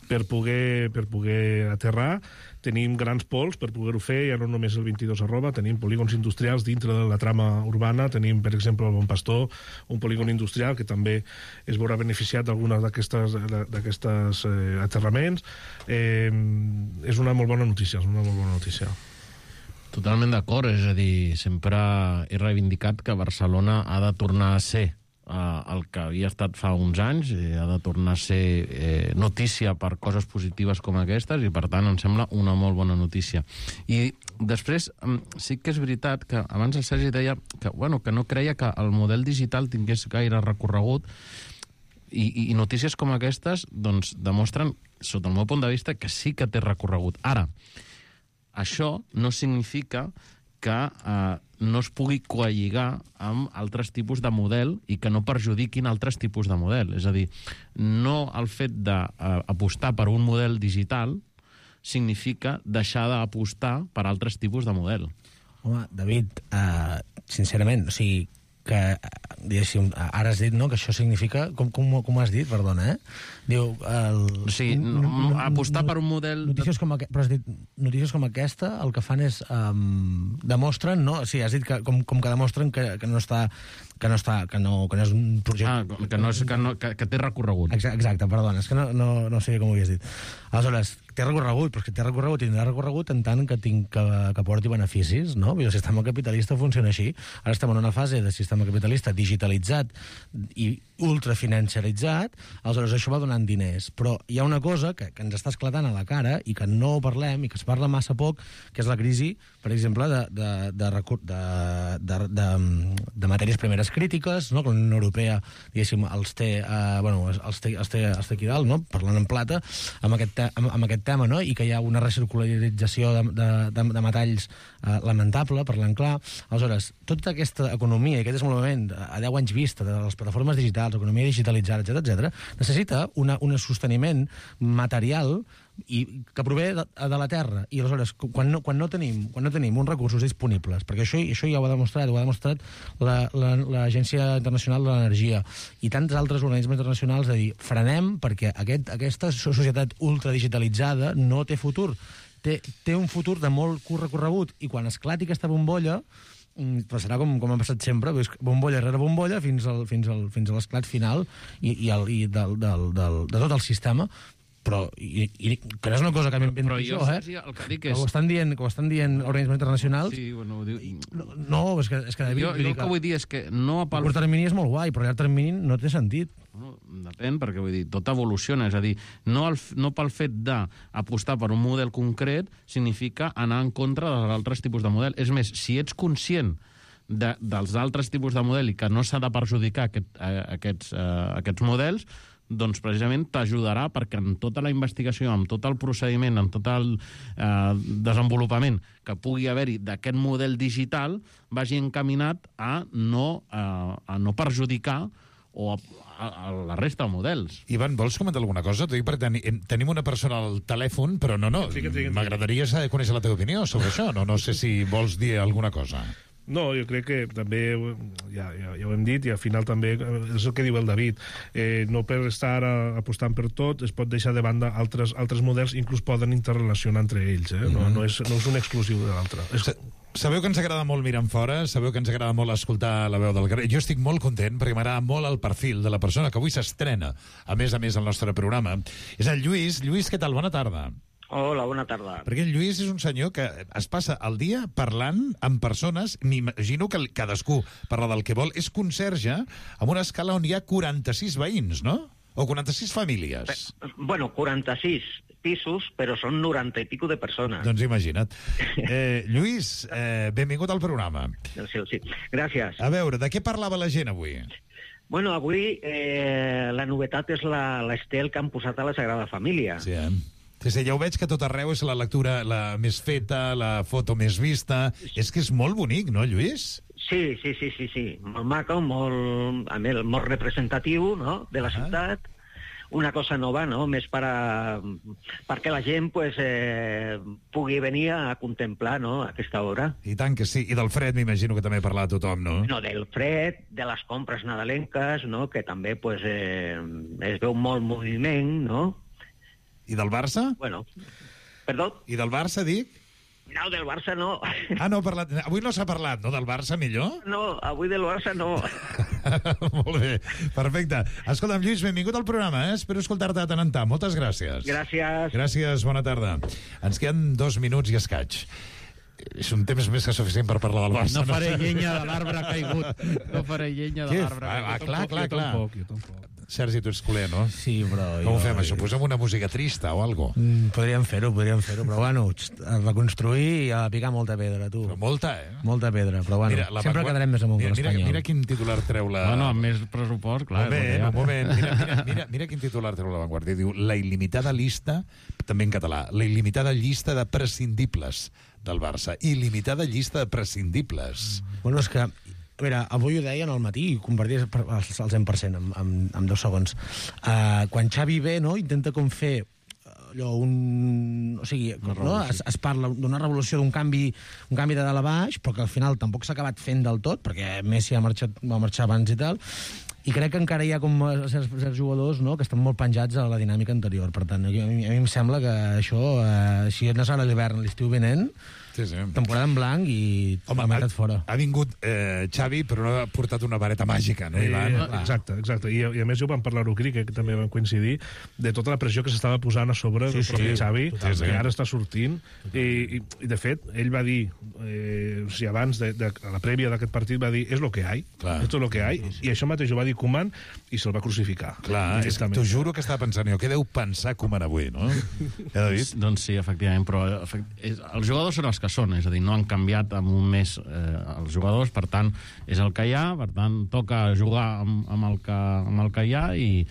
per poder aterrar. Tenim grans pols per poder-ho fer, ja no només el 22 tenim polígons industrials dintre de la trama urbana, tenim, per exemple, el Bon Pastor, un polígon industrial que també es veurà beneficiat d'algunes d'aquestes aterraments. És una molt bona notícia, Totalment d'acord, és a dir, sempre he reivindicat que Barcelona ha de tornar a ser el que havia estat fa uns anys, ha de tornar a ser notícia per coses positives com aquestes, i per tant em sembla una molt bona notícia. I després sí que és veritat que abans el Sergi deia que no creia que el model digital tingués gaire recorregut, i notícies com aquestes doncs demostren, sota el meu punt de vista, que sí que té recorregut. Ara, això no significa que no es pugui coalligar amb altres tipus de model i que no perjudiquin altres tipus de model. És a dir, no el fet d'apostar per un model digital significa deixar d'apostar per altres tipus de model. Home, David, sincerament, o sigui, que, diguéssim, ara has dit, no?, que això significa... Com has dit, perdona, Diu... Sí, apostar per un model... Notícies com aquesta, el que fan és... demostren, no? Sí, has dit que com que demostren que no està... que no és un projecte... que té recorregut. Exacte, perdona, és que no sé com ho havies dit. Aleshores, té recorregut, però és que té recorregut, tindrà recorregut en tant que porti beneficis, no? El sistema capitalista funciona així. Ara estem en una fase de sistema capitalista digitalitzat i ultrafinanciaritzat, aleshores això va donant diners. Però hi ha una cosa que ens està esclatant a la cara i que no parlem i que es parla massa poc, que és la crisi, per exemple, de matèries primeres crítiques, no? Que la Unió Europea, diguéssim, els té aquí dalt, no? Parlant en plata, amb aquest tema, no? I que hi ha una recircularització de metalls lamentable, parlant clar. Aleshores, tota aquesta economia i aquest desenvolupament a 10 anys vista de les plataformes digitals, economia digitalitzada, etc., necessita un sosteniment material i que prové de la terra. I aleshores, quan no tenim uns recursos disponibles, perquè això ja ho ha demostrat l'Agència Internacional de l'Energia i tants altres organismes internacionals, de dir, frenem perquè aquesta societat ultradigitalitzada no té futur. Té un futur de molt curt recorregut, i quan esclati aquesta bombolla passarà com ha passat sempre, bombolla rere bombolla fins a l'esclat final i de tot el sistema. Però que no és una cosa que m'invento jo, el que dic és... Que ho estan dient organismes internacionals. Sí, bueno, ho diu... No, és que David... Jo el que vull dir és que no... A curt termini és molt guai, però a llarg termini no té sentit. Bueno, depèn, perquè vull dir, tot evoluciona, és a dir, no pel fet d'apostar per un model concret significa anar en contra dels altres tipus de model. És més, si ets conscient dels altres tipus de model i que no s'ha de perjudicar aquests models, doncs precisament t'ajudarà perquè en tota la investigació, en tot el procediment, en tot el desenvolupament que pugui haver-hi d'aquest model digital vagi encaminat a no perjudicar o a la resta de models. Ivan, vols comentar alguna cosa? T'ho dic perquè tenim una persona al telèfon, però m'agradaria conèixer la teva opinió sobre això. No sé si vols dir alguna cosa. No, jo crec que també, ja ho hem dit, i al final també és el que diu el David, no per estar apostant per tot es pot deixar de banda altres models, inclús poden interrelacionar entre ells, no és un exclusiu de l'altre. Sabeu que ens agrada molt mirar enfora, sabeu que ens agrada molt escoltar la veu del carrer. Jo estic molt content perquè m'agrada molt el perfil de la persona que avui s'estrena, a més al nostre programa. És el Lluís. Lluís, què tal? Bona tarda. Hola, bona tarda. Perquè el Lluís és un senyor que es passa el dia parlant amb persones, m'imagino que cadascú parla del que vol, és conserge amb una escala on hi ha 46 veïns, no? O 46 famílies. Bueno, 46 pisos, però són 90 i pico de persones. Doncs imagina't. Lluís, benvingut al programa. Sí, gràcies. A veure, de què parlava la gent avui? Bueno, avui la novetat és l'estel que han posat a la Sagrada Família. Sí, Sí, ja ho veig que tot arreu és la lectura la més feta, la foto més vista. És que és molt bonic, no, Lluís? Sí. Molt maco, molt representatiu, no?, de la ciutat. Una cosa nova, no?, més perquè la gent pugui venir a contemplar, no?, aquesta obra. I tant que sí. I del fred m'imagino que també parla tothom, no? No, del fred, de les compres nadalenques, no?, que també es veu molt moviment, no? I del Barça? Bueno, perdó? I del Barça, dic? No, del Barça no. Ah, no, avui no s'ha parlat, no? Del Barça, millor? No, avui del Barça no. Molt bé, perfecte. Escolta'm, Lluís, benvingut al programa, Espero escoltar-te de tant en tant. Moltes gràcies. Gràcies. Gràcies, bona tarda. Ens queden 2 minuts i escaig. És un temps més que suficient per parlar del Barça. No faré llenya de l'arbre caigut. No faré llenya de l'arbre caigut. Clar. Jo tampoc. Sergi, tu ets culer, no? Sí, però... Com ho fem, això? Posem una música trista o algo? Podríem fer-ho, però bueno, reconstruir i a picar molta pedra, tu. Però molta, Molta pedra, però bueno, sempre quedarem més amunt que l'Espanyol. Mira quin titular treu la... Bueno, amb més pressupost, clar. Un moment. Mira quin titular treu la Vanguardia. Diu, la il·limitada llista, també en català, la il·limitada llista de prescindibles del Barça. Il·limitada llista de prescindibles. Bueno, és que... A veure, avui ho deien al matí i converties al 100% en 2 segons. Quan Xavi ve, no?, intenta com fer o sigui, no? Es parla d'una revolució, d'un canvi de dalt a baix, però que al final tampoc s'ha acabat fent del tot, perquè Messi va marxar abans i tal, i crec que encara hi ha com certs jugadors, no?, que estan molt penjats a la dinàmica anterior. Per tant, a mi em sembla que això, si no serà l'hivern, l'estiu vinent, temporada en blanc i la meitat fora. Ha vingut Xavi, però no ha portat una vareta màgica, no, Ivan? Exacte. I a més, ho vam parlar-ho, que també vam coincidir, de tota la pressió que s'estava posant a sobre del propi Xavi, que ara està sortint. I, de fet, ell va dir, abans, a la prèvia d'aquest partit, va dir, és lo que hay, esto es lo que hay, i això mateix ho va dir Koeman i se'l va crucificar. Clar, t'ho juro que estava pensant jo, què deu pensar Koeman avui, no? Doncs sí, efectivament, però els jugadors són els que són, és a dir, no han canviat en un mes els jugadors, per tant, és el que hi ha, per tant, toca jugar amb el que hi ha i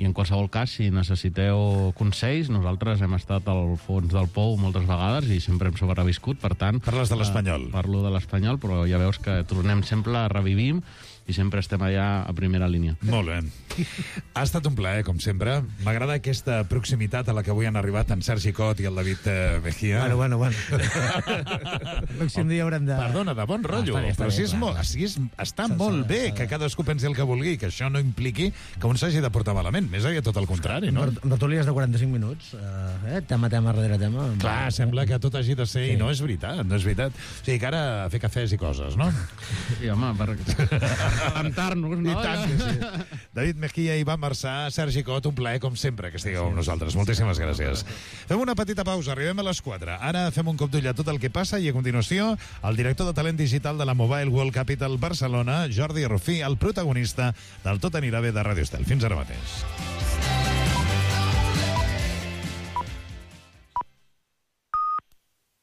en qualsevol cas, si necessiteu consells, nosaltres hem estat al fons del pou moltes vegades i sempre hem sobreviscut, per tant... Parles de l'Espanyol. Parlo de l'Espanyol, però ja veus que tornem sempre, revivim i sempre estem allà a primera línia. Molt bé. Ha estat un plaer, com sempre. M'agrada aquesta proximitat a la que avui han arribat en Sergi Cot i el David Mejía. Bueno. El pròxim dia haurem de... Perdona, de bon rotllo. Però està molt bé que cadascú pensi el que vulgui, que això no impliqui que un s'hagi de portar malament. Més aviat tot el contrari, no? Tertúlies de 45 minuts, tema darrere tema. Clar, sembla que tot hagi de ser, i no és veritat, no és veritat. O sigui, que ara a fer cafès i coses, no? Sí, home, per alentar-nos, no? I tant que sí. David Mejía i Ivan Marçà, Sergi Cot, un plaer, com sempre, que estigueu amb nosaltres. Moltíssimes gràcies. Fem una petita pausa, arribem a les 4. Ara fem un cop d'ull a tot el que passa i a continuació el director de talent digital de la Mobile World Capital Barcelona, Jordi Rufí, el protagonista del Tot anirà bé de Radio Estel. Fins ara mateix.